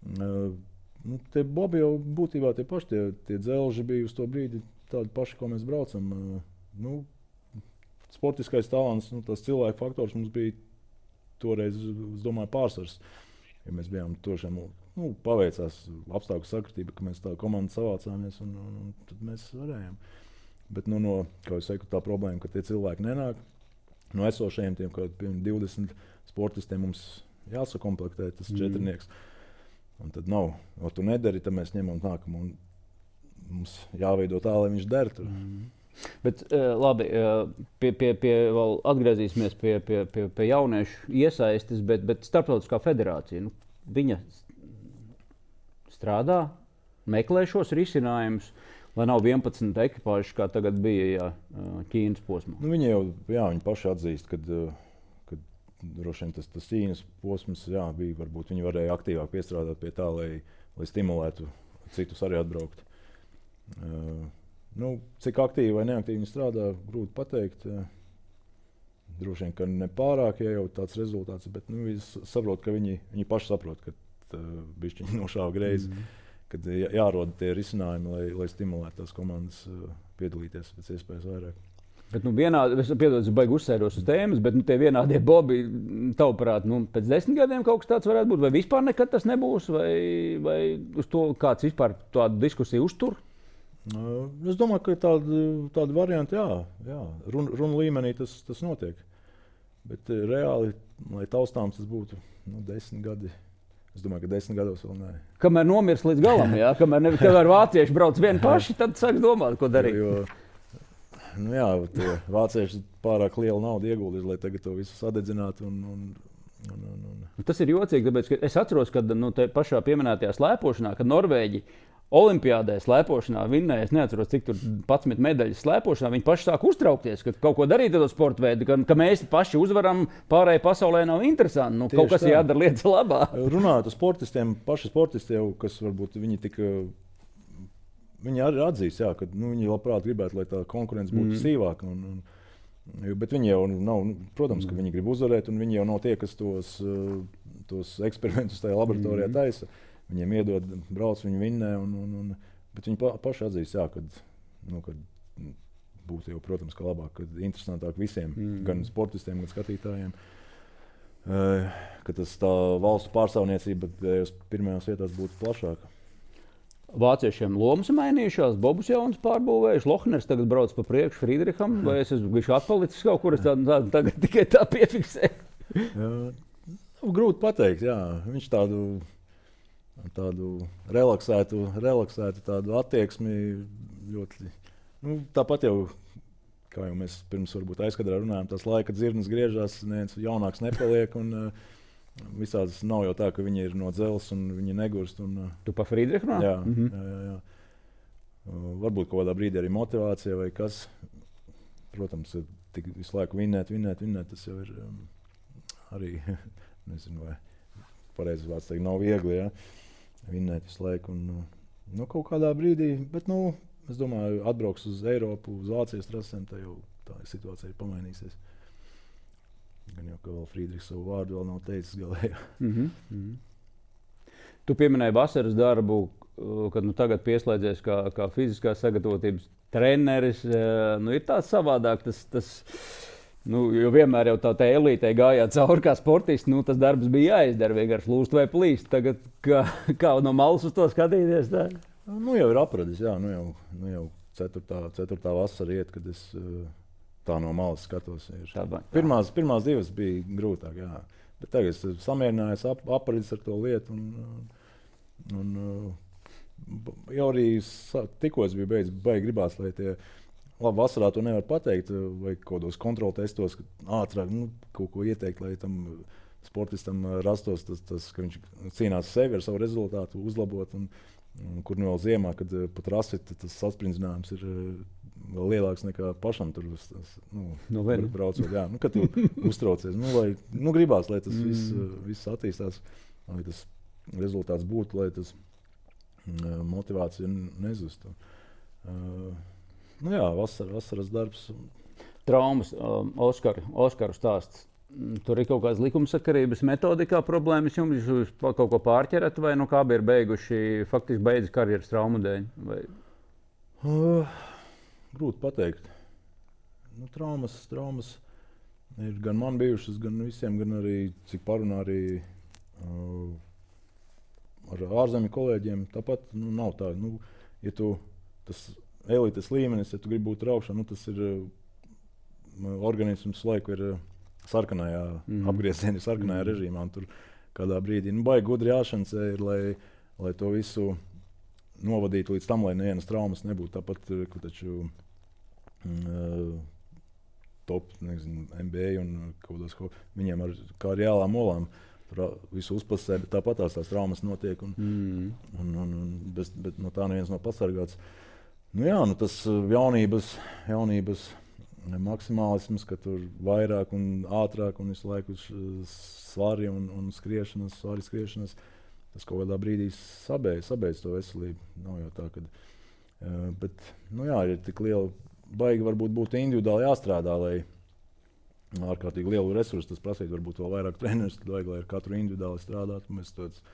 S1: Uh, nu, tie bobi jau būtībā tie paši, tie, tie dzelži bija uz to brīdi tādi paši, ko mēs braucam. Uh, nu, sportiskais talants, nu, tas cilvēku faktors mums bija toreiz, es domāju, pārsvars. Ja mēs bijām tošiem, nu, paveicās apstākļu sakritība, ka mēs tā komanda savācāmies un, un, un tad mēs varējām. Bet, nu, no, kā jūs saku, tā problēma, ka tie cilvēki nenāk. No esošajiem tiem, kā divdesmit sportistiem mums jāsakomplektē tas mm. četrnieks. Un tad nav, o tu nedari, tad mēs ņemam nākamu. Un mums jāveido tā, lai viņš der tur.
S2: Mm. Bet, uh, labi, uh, pie, pie, pie, vēl atgriezīsimies pie, pie, pie, pie jauniešu iesaistes, bet, bet Starptautiskā federācija, nu, viņa strādā, meklē šos risinājumus, lai nav vienpadsmit ekipāžas, kā tagad bija jā, Ķīnas posmā.
S1: Nu, viņi jau jā, viņi paši atzīst, kad, kad droši vien tas, tas Ķīnas posms jā, bija, varbūt viņi varēja aktīvāk piestrādāt pie tā, lai, lai stimulētu citus arī atbraukt. Uh, Nu, cik aktīvi vai neaktīvi viņi strādā, grūti pateikt. Droši vien, ka ne pārāk, ja jau tāds rezultāts, bet nu, viņi saprot, ka viņi, viņi paši saprot, ka uh, bišķiņi nošāva greizi, mm. kad jā, jāroda tie risinājumi, lai, lai stimulētu tās komandas uh, piedalīties pēc iespējas vairāk.
S2: Bet, nu, vienādi, es piedod, es baigi uzsēros uz tēmas, bet nu, tie vienādie bobi, tavuprāt, nu, pēc desmit gadiem kaut kas tāds varētu būt, vai vispār nekad tas nebūs, vai, vai uz to kāds vispār tādu diskusiju uztur?
S1: Es domāju, ka tāda, tāda varianta, jā, jā. Runa run līmenī tas, tas notiek. Bet reāli, lai taustāms tas būtu nu, desmit gadi, es domāju, ka desmit gados vēl nē.
S2: Kamēr nomirs līdz galam, jā, kamēr, ne, kamēr vācieši brauc vieni paši, tad sāks domāt, ko darīt.
S1: Jo, nu jā, tie vācieši pārāk lielu naudu ieguldīs, lai tagad to visu sadedzinātu. Un, un, un, un, un.
S2: Tas ir jocīgi, tāpēc, ka es atceros, kad nu, te pašā pieminētajā slēpošanā, kad Norvēģi Olimpiādē slēpošanā vinnēja, es neatceros, cik tur padsmit medaļas slēpošanā, viņi paši sāk uztraukties, ka kaut ko darīt ar to sporta veidu, ka, ka mēs paši uzvaram, pārējai pasaulē nav interesanti. Nu, kaut kas tā. Jādara lietas labā.
S1: Runājot ar sportistiem, paši sportisti jau, kas varbūt viņi tik, viņi arī atzīst, jā, ka nu, viņi labprāt gribētu, lai tā konkurence būtu mm. sīvāka. Un, un, bet viņi jau nav, protams, ka viņi grib uzvarēt, un viņi jau nav tie, kas tos, tos eksperimentus tajā laboratorijā mm. taisa. Viņiem iedod, brauc, viņi vinnē, un, un, un, bet viņi pa, paši atzīst, jā, kad, nu, kad būtu jau, protams, ka labāk, kad interesantāk visiem, mm. gan sportistiem, gan skatītājiem, uh, ka tas tā valstu pārstāvniecība pirmajās vietās būtu plašāka.
S2: Vāciešiem lomas mainījušās, Bobus jauns pārbūvējuši, Lohners tagad brauc pa priekšu Friedriham, vai es esmu bijuši atpalicis kaut kur, es tā, tā, tagad tikai tā piefiksēju?
S1: Jā, nu, grūti pateikt, jā, viņš tādu... tādu relaksētu, relaksētu tādu attieksmi ļoti. Nu, tāpat jau, kā jau mēs pirms varbūt aizkadrā runājām, tās laika dzirnas griežās, neviens jaunāks nepaliek. Un, uh, visādas nav jau tā, ka viņi ir no dzelzs un viņi negurst. Un, uh,
S2: tu pa Friedrichu runā?
S1: Jā, mm-hmm. jā, jā, jā. Uh, varbūt kaut kādā brīdī arī motivācija vai kas. Protams, tik visu laiku vinnēt, vinnēt, vinnēt, tas jau ir um, arī, nezinu, vai pareizi vārds teikt, nav viegli. Ja? Vinnēt visu laiku. Un, nu, kaut kādā brīdī, bet, nu, es domāju, atbrauks uz Eiropu, uz Vācijas trasēm, tā jau tā situācija ir pamainīsies. Gan jau, ka vēl Friedrichs savu vārdu vēl nav teicis galējā.
S2: Mm-hmm. Mm-hmm. Tu pieminēji vasaras darbu, kad nu, tagad pieslēdzies kā, kā fiziskās sagatavotības treneris. Nu, ir tāds savādāk, tas, tas Nu, jo vienmēr jau tā, tā elītē gājāt cauri kā sportisti, nu, tas darbs bija jāizdara, vienkārši lūst vai plīst. Tagad kā, kā no malas uz to skatīties? Tā?
S1: Nu, jau ir apradis, jā, nu jau, nu jau ceturtā, ceturtā vasara iet, kad es uh, tā no malas skatos. Ir.
S2: Tā, tā.
S1: Pirmās, pirmās divas bija grūtāk, jā. Bet tagad es samierinājos, ap, apredzis ar to lietu. Un, un, jau arī tikko es biju beidzis, baigi gribās, lai tie labi vasarā to nevar pateikt, vai kaut kādos kontroltestos, ātrāk nu, kaut ko ieteikt, lai tam sportistam rastos tas, tas ka viņš cīnās sevi ar savu rezultātu, uzlabot. Un, un, kur nu vēl ziemā, kad pat rasita tas saspringzinājums ir vēl lielāks nekā pašam tur nu,
S2: no
S1: braucot. Jā, nu, kad tu uztraucies, nu, lai, nu, gribās, lai tas mm. viss, viss attīstās, lai tas rezultāts būtu, lai tas uh, motivācija nezustu. Uh, nu jā, vasar, vasaras darbs.
S2: Traumas, um, Oskar, Oskaru stāsts. Tur ir kaut kādas likumsakarības metodikā problēmas, jums jūs kaut ko pārķerat, vai nu kā bija beiguši, faktiski beidz karjeras traumu dēļ? Vai?
S1: Uh, grūti pateikt. Nu, traumas, traumas ir gan man bijušas, gan visiem, gan arī, cik parunā arī uh, ar ārzemju kolēģiem. Tāpat nu, nav tā, nu, ja tu tas elites līmenis, ja tu gribi būt raukšā, nu, tas ir uh, organisms laiku ir uh, sarkanajā mm. apgriezienā, sarkanajā mm. režīmā. Tur kādā brīdī nu, baigi gudri jāšancē ir, lai, lai to visu novadītu līdz tam, lai nevienas traumas nebūtu. Tāpat, ka taču uh, top, nezinu, N B A un kaut kādos, viņiem ar kā ar jālām olām tur visu uzpasē, bet tāpat tās, tās traumas notiek un, mm. un, un, un bez, bet no tā neviens nav pasargāts. Nu jā, nu tas jaunības, jaunības maksimālisms, ka tur vairāk un ātrāk un visu laiku svari un, un skriešanas, svari skriešanas, tas kaut kādā brīdī sabeidz, sabeidz to veselību. Nav jau tā, kad, uh, bet, nu jā, ir tik liela, baigi varbūt būtu individuāli jāstrādā, lai ārkārtīgi lielu resursu tas prasītu, varbūt vēl vairāk trenerus, tad vajag, lai ar katru individuāli strādātu. Mēs tāds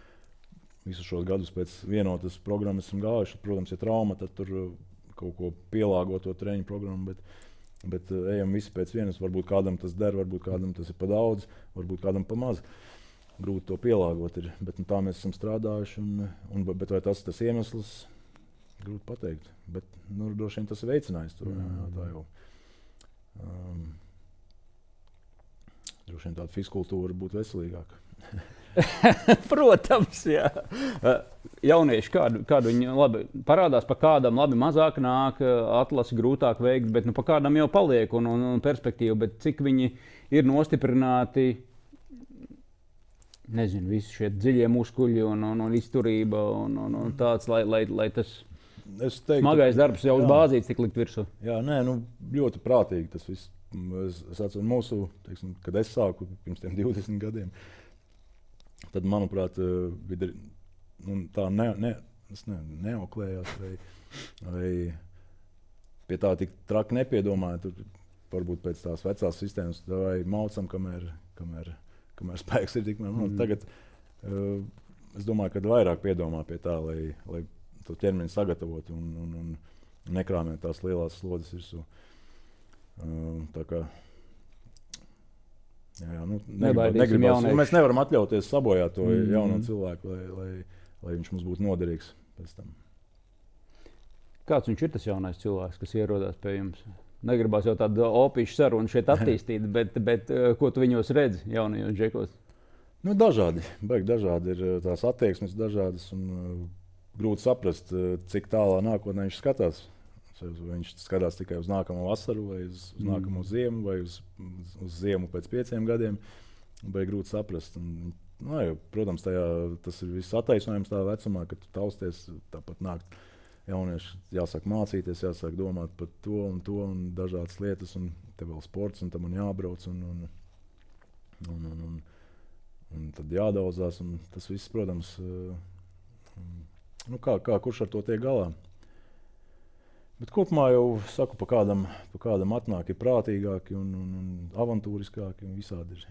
S1: visus šos gadus pēc vienotas programmas esam gājuši. Protams, ja trauma, tad tur kaut ko pielāgot to treniņu programmu, bet Bet uh, ejam visi pēc vienas. Varbūt kādam tas der, varbūt kādam tas ir pa daudz, varbūt kādam pa maz. Grūti to pielāgot ir. Bet nu, tā mēs esam strādājuši. Un, un, bet vai tas ir tas iemesls? Grūti pateikt. Bet nu, droši vien tas ir veicinājis to. Jā, jā, tā jau. Um, droši vien tāda fizkultūra būtu veselīgāka.
S2: Protams, jā. Jaunieši, kādu, kādu viņi labi parādās, pa kādam labi mazāk nāk, atlasi grūtāk veikt, bet nu, pa kādam jau paliek un, un, un perspektīva, bet cik viņi ir nostiprināti, nezinu, visi šie dziļie muskuļi un, un, un izturība un, un, un tāds, lai, lai, lai tas teiktu, smagais darbs jau uz bāzītes tik likt virsū.
S1: Jā, nē, nu ļoti prātīgi tas viss. Es, es atceru mūsu, teiksim, kad es sāku pirms tiem divdesmit gadiem, tad, manuprāt, bija, nu, tā ne, ne, ne, neoklējās vai, vai pie tā tik traki nepiedomāja. Tur varbūt pēc tās vecās sistēmas vai maucam, kamēr, kamēr, kamēr spēks ir tikmēr. Mm. Tagad uh, es domāju, ka vairāk piedomā pie tā, lai, lai to ķermeni sagatavotu un, un, un nekrāmēt tās lielās slodzes virsū. Uh, tā kā Jā, jā, nu, negribas, mēs nevaram atļauties sabojāt to mm. jauno cilvēku, lai, lai, lai viņš mums būtu noderīgs pēc tam.
S2: Kāds viņš ir tas jaunais cilvēks, kas ierodās pie jums? Negribās jau tādu opīšu sarunu šeit attīstīt, bet, bet ko tu viņos redzi jaunajos džekos?
S1: Nu, dažādi, baigi dažādi ir tās attieksmes dažādas un uh, grūti saprast, uh, cik tālā nākotnē viņš skatās. Vai viņš skatās tikai uz nākamo vasaru, vai uz, uz mm. nākamo ziemu, vai uz, uz, uz ziemu pēc pieciem gadiem. Vai grūti saprast. Un, nu, jau, protams, tajā, tas ir viss attaisnojums tā vecumā, kad tu tausties, tāpat nāk jaunieši, jāsāk mācīties, jāsāk domāt par to un to un dažādas lietas, un te vēl sports, un tam man jābrauc, un, un, un, un, un, un tad jādaudzās, un tas viss, protams, nu, kā, kā kurš ar to tiek galā. Bet kopumā jau saku, pa kādam, pa kādam atnāk ir prātīgāki un, un, un avantūriskāki un visādi ir.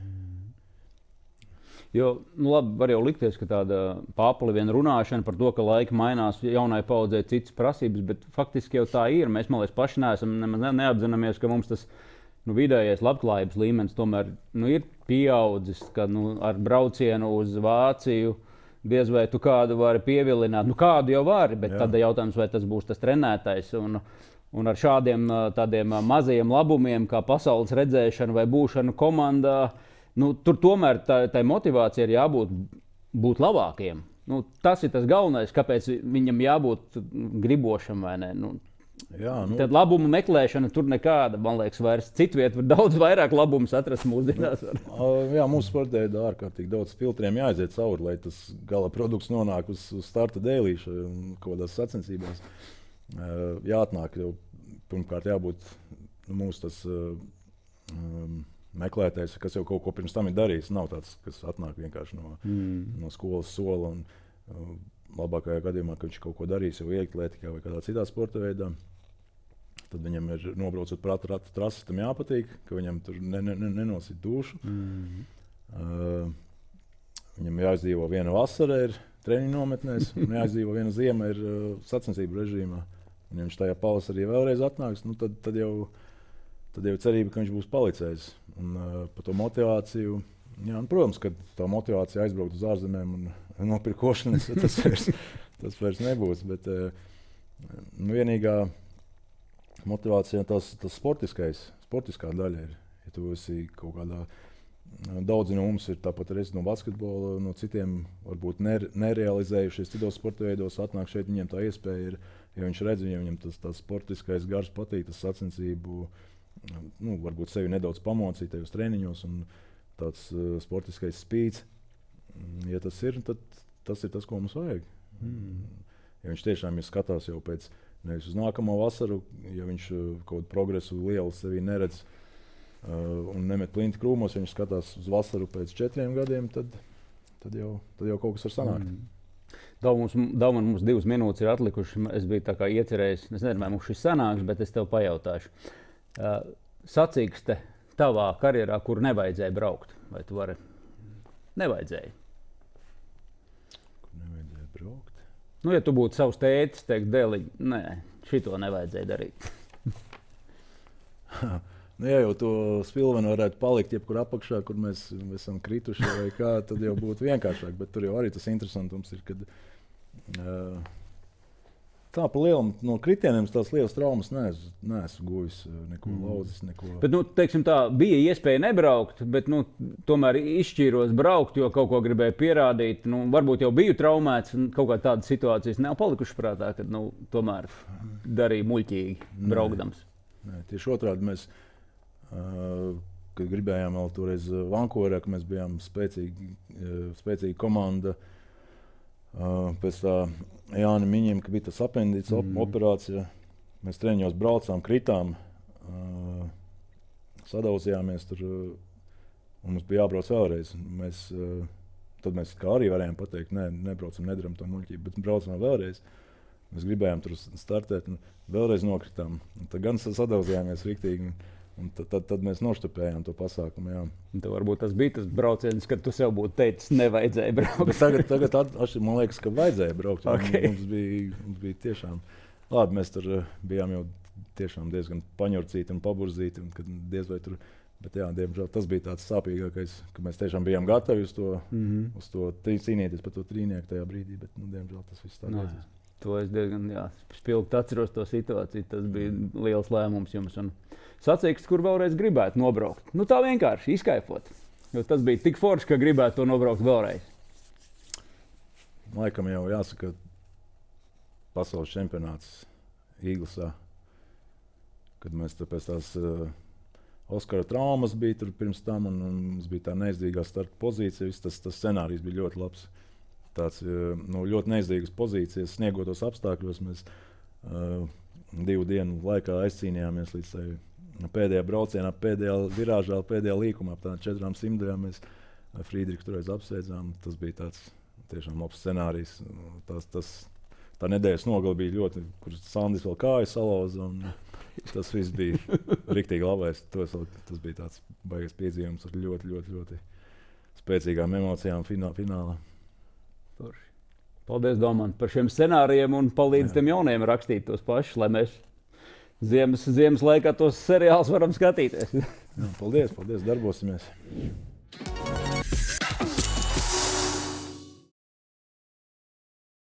S2: Jo, nu labi, var jau likties, ka tāda pāpali vien runāšana par to, ka laika mainās, jaunai paudzei citas prasības, bet faktiski jau tā ir. Mēs, man liekas, paši neesam, nemaz neapzināmies, ka mums tas nu, vidējais labklājības līmenis tomēr nu, ir pieaudzis, ka nu, ar braucienu uz Vāciju diez vai tu kādu vari pievilināt. Nu, kādu jau vari, bet
S1: Jā.
S2: tad jautājums, vai tas būs tas trenētājs. Un, un ar šādiem tādiem mazajiem labumiem, kā pasaules redzēšana vai būšana komandā, nu, tur tomēr tā, tai motivācija ir jābūt būt labākiem. Nu, tas ir tas galvenais, kāpēc viņam jābūt gribošam vai ne. Nu,
S1: Jā, nu,
S2: tad labumu meklēšana tur nekāda, man liekas, vairs citviet var daudz vairāk labumus atrast mūsdienās.
S1: Jā, mūsu sportē ir ārkārtīgi daudz filtriem jāaiziet cauri, lai tas gala produkts nonāk uz, uz starta dēlīša un kaut kādās sacensībās. Jāatnāk jau, pirmkārt, jābūt nu, mūsu tas um, meklētājs, kas jau kaut ko pirms tam ir darījis. Nav tāds, kas atnāk vienkārši no, mm. no skolas sola un um, labākajā gadījumā, ka viņš kaut ko darīs jau ieklētikā vai kādā citā sporta veidā. Tad viņam ir nobraucot prāta ratu trasi, tam jāpatīk, ka viņam tur ne, ne, ne, nenosit dušu. Mm. Uh, viņam jāizdzīvo viena vasara ir treniņu nometnēs, un jāizdzīvo viena ziema ir uh, sacensību režīmā. Un ja viņš tajā pavasarī vēlreiz atnāks, nu, tad, tad, jau, tad jau cerība, ka viņš būs palicējis. Un uh, par to motivāciju, jā, un, protams, ka tā motivācija aizbraukt uz ārzemēm un nopirkt košanas, tas vairs, tas vairs nebūs. Bet uh, nu, vienīgā motivācija tas, tas sportiskais, sportiskā daļa ir. Ja tu esi kaut kādā, daudzi no mums ir tāpat arī no basketbola, no citiem varbūt ner, nerealizējušies citos sporta veidos, atnāk šeit, viņiem tā iespēja ir, ja viņš redz, viņam, viņam tas, tas sportiskais gars patīk, tas sacensību, nu, varbūt sevi nedaudz pamocīt tajos treniņos un tāds uh, sportiskais spīds. Ja tas ir, tad tas ir tas, ko mums vajag. Mm. Ja viņš tiešām ir skatās jau pēc nevis uz nākamo vasaru, ja viņš uh, kaut kādu progresu lielu sevī neredz uh, un nemet plinti krūmos, ja viņš skatās uz vasaru pēc četriem gadiem, tad, tad, jau, tad jau kaut kas var sanākt. Mm.
S2: Daudz mums, daudz mums divas minūtes ir atlikušas. Es biju tā kā iecerējis, es nezinu, vai mums šis sanāks, bet es tev pajautāšu. Uh, sacīkste tavā karjerā, kur nevajadzēja braukt, vai tu vari? Nevajadzēja.
S1: Kur nevajadzēja braukt?
S2: Nu, ja tu būtu savs tētis, teikt, dēliņ, nē, šito nevajadzēja darīt.
S1: Nu, ja jau to spilvenu varētu palikt jebkur apakšā, kur mēs, mēs esam krituši vai kā, tad jau būtu vienkāršāk. Bet tur jau arī tas interesantums ir, kad uh, tā pa lielam no kritieniem tās lielas traumas neesmu, neesmu guvis, neko mm. lauzis, neko.
S2: Bet, nu, teiksim tā, bija iespēja nebraukt, bet, nu, tomēr izšķīros braukt, jo kaut ko gribēju pierādīt. Nu, varbūt jau biju traumēts, un kaut kā tādas situācijas nav palikušas prātā, kad, nu, tomēr darīju muļķīgi braukdams.
S1: Nē, nē, tieši otrādi mēs, uh, kad gribējām vēl toreiz Vankūverā, ka mēs bijām spēcīgi, uh, spēcīga komanda, uh, pēc tā Jāni Miņiem, ka bija tas apendīts mm. operācija. Mēs treniņos braucām, kritām, uh, sadauzījāmies tur, uh, un mums bija jābrauc vēlreiz. Mēs, uh, tad mēs kā arī varējām pateikt, nē, nebraucam, nedaram to muļķību, bet braucam vēlreiz. Mēs gribējām tur startēt un vēlreiz nokritām. Un tad gan sadauzījāmies riktīgi. Un tad, tad, tad mēs noštupējām to pasākumu. Jā.
S2: Tad varbūt tas bija tas brauciens, kad tu sev būtu teicis, nevajadzēja braukt.
S1: Bet tagad, tagad at, at, man liekas, ka vajadzēja braukt.
S2: Okay.
S1: Mums, bija, mums bija tiešām labi. Mēs tur bijām jau tiešām diezgan paņurcīti un paburzīti. Un, kad diez vai tur, bet jā, diemžēl tas bija tāds sāpīgākais, ka mēs tiešām bijām gatavi uz to, mm-hmm. uz to cīnīties par to trīnieku tajā brīdī. Bet, nu, diemžēl tas viss tā beidzās.
S2: To es diezgan spilgti atceros to situāciju. Tas bija liels lēmums jums. Un sacīksts, kur vēlreiz gribētu nobraukt. Nu, tā vienkārši izkaifot. Jo tas bija tik forši, ka gribētu to nobraukt vēlreiz.
S1: Laikam jau jāsaka, pasaules čempionāts Īglasā, kad mēs pēc tās uh, Oskara traumas bija tur pirms tam, un, un mums bija tā neizdevīgā starta pozīcija. Viss tas, tas scenārijs bija ļoti labs. Tāds uh, nu, ļoti neizdevīgas pozīcijas, sniegotos apstākļos. Mēs uh, divu dienu laikā aizcīnījāmies līdz tai pēdējā braucienā, pēdējā virāžā, pēdējā līkumā. Ap tādām četrām simtajām mēs Frīdriku toreiz apsveicām. Tas bija tāds tiešām labs scenārijs. Tas, tas, tā nedēļas nogale bija ļoti, kur Sandis vēl kāju salauza. Tas viss bija riktīgi labais. Tas, tas bija tāds baigies piedzīvums ar ļoti, ļoti, ļoti spēcīgām emocijām finā, finālā.
S2: Forši. Paldies, Domant, par šiem scenārijiem un palīdz Jā. Tiem jauniem rakstīt tos pašus, lai mēs ziemas, ziemas laikā tos seriālus varam skatīties.
S1: Jā, paldies, paldies, darbosimies.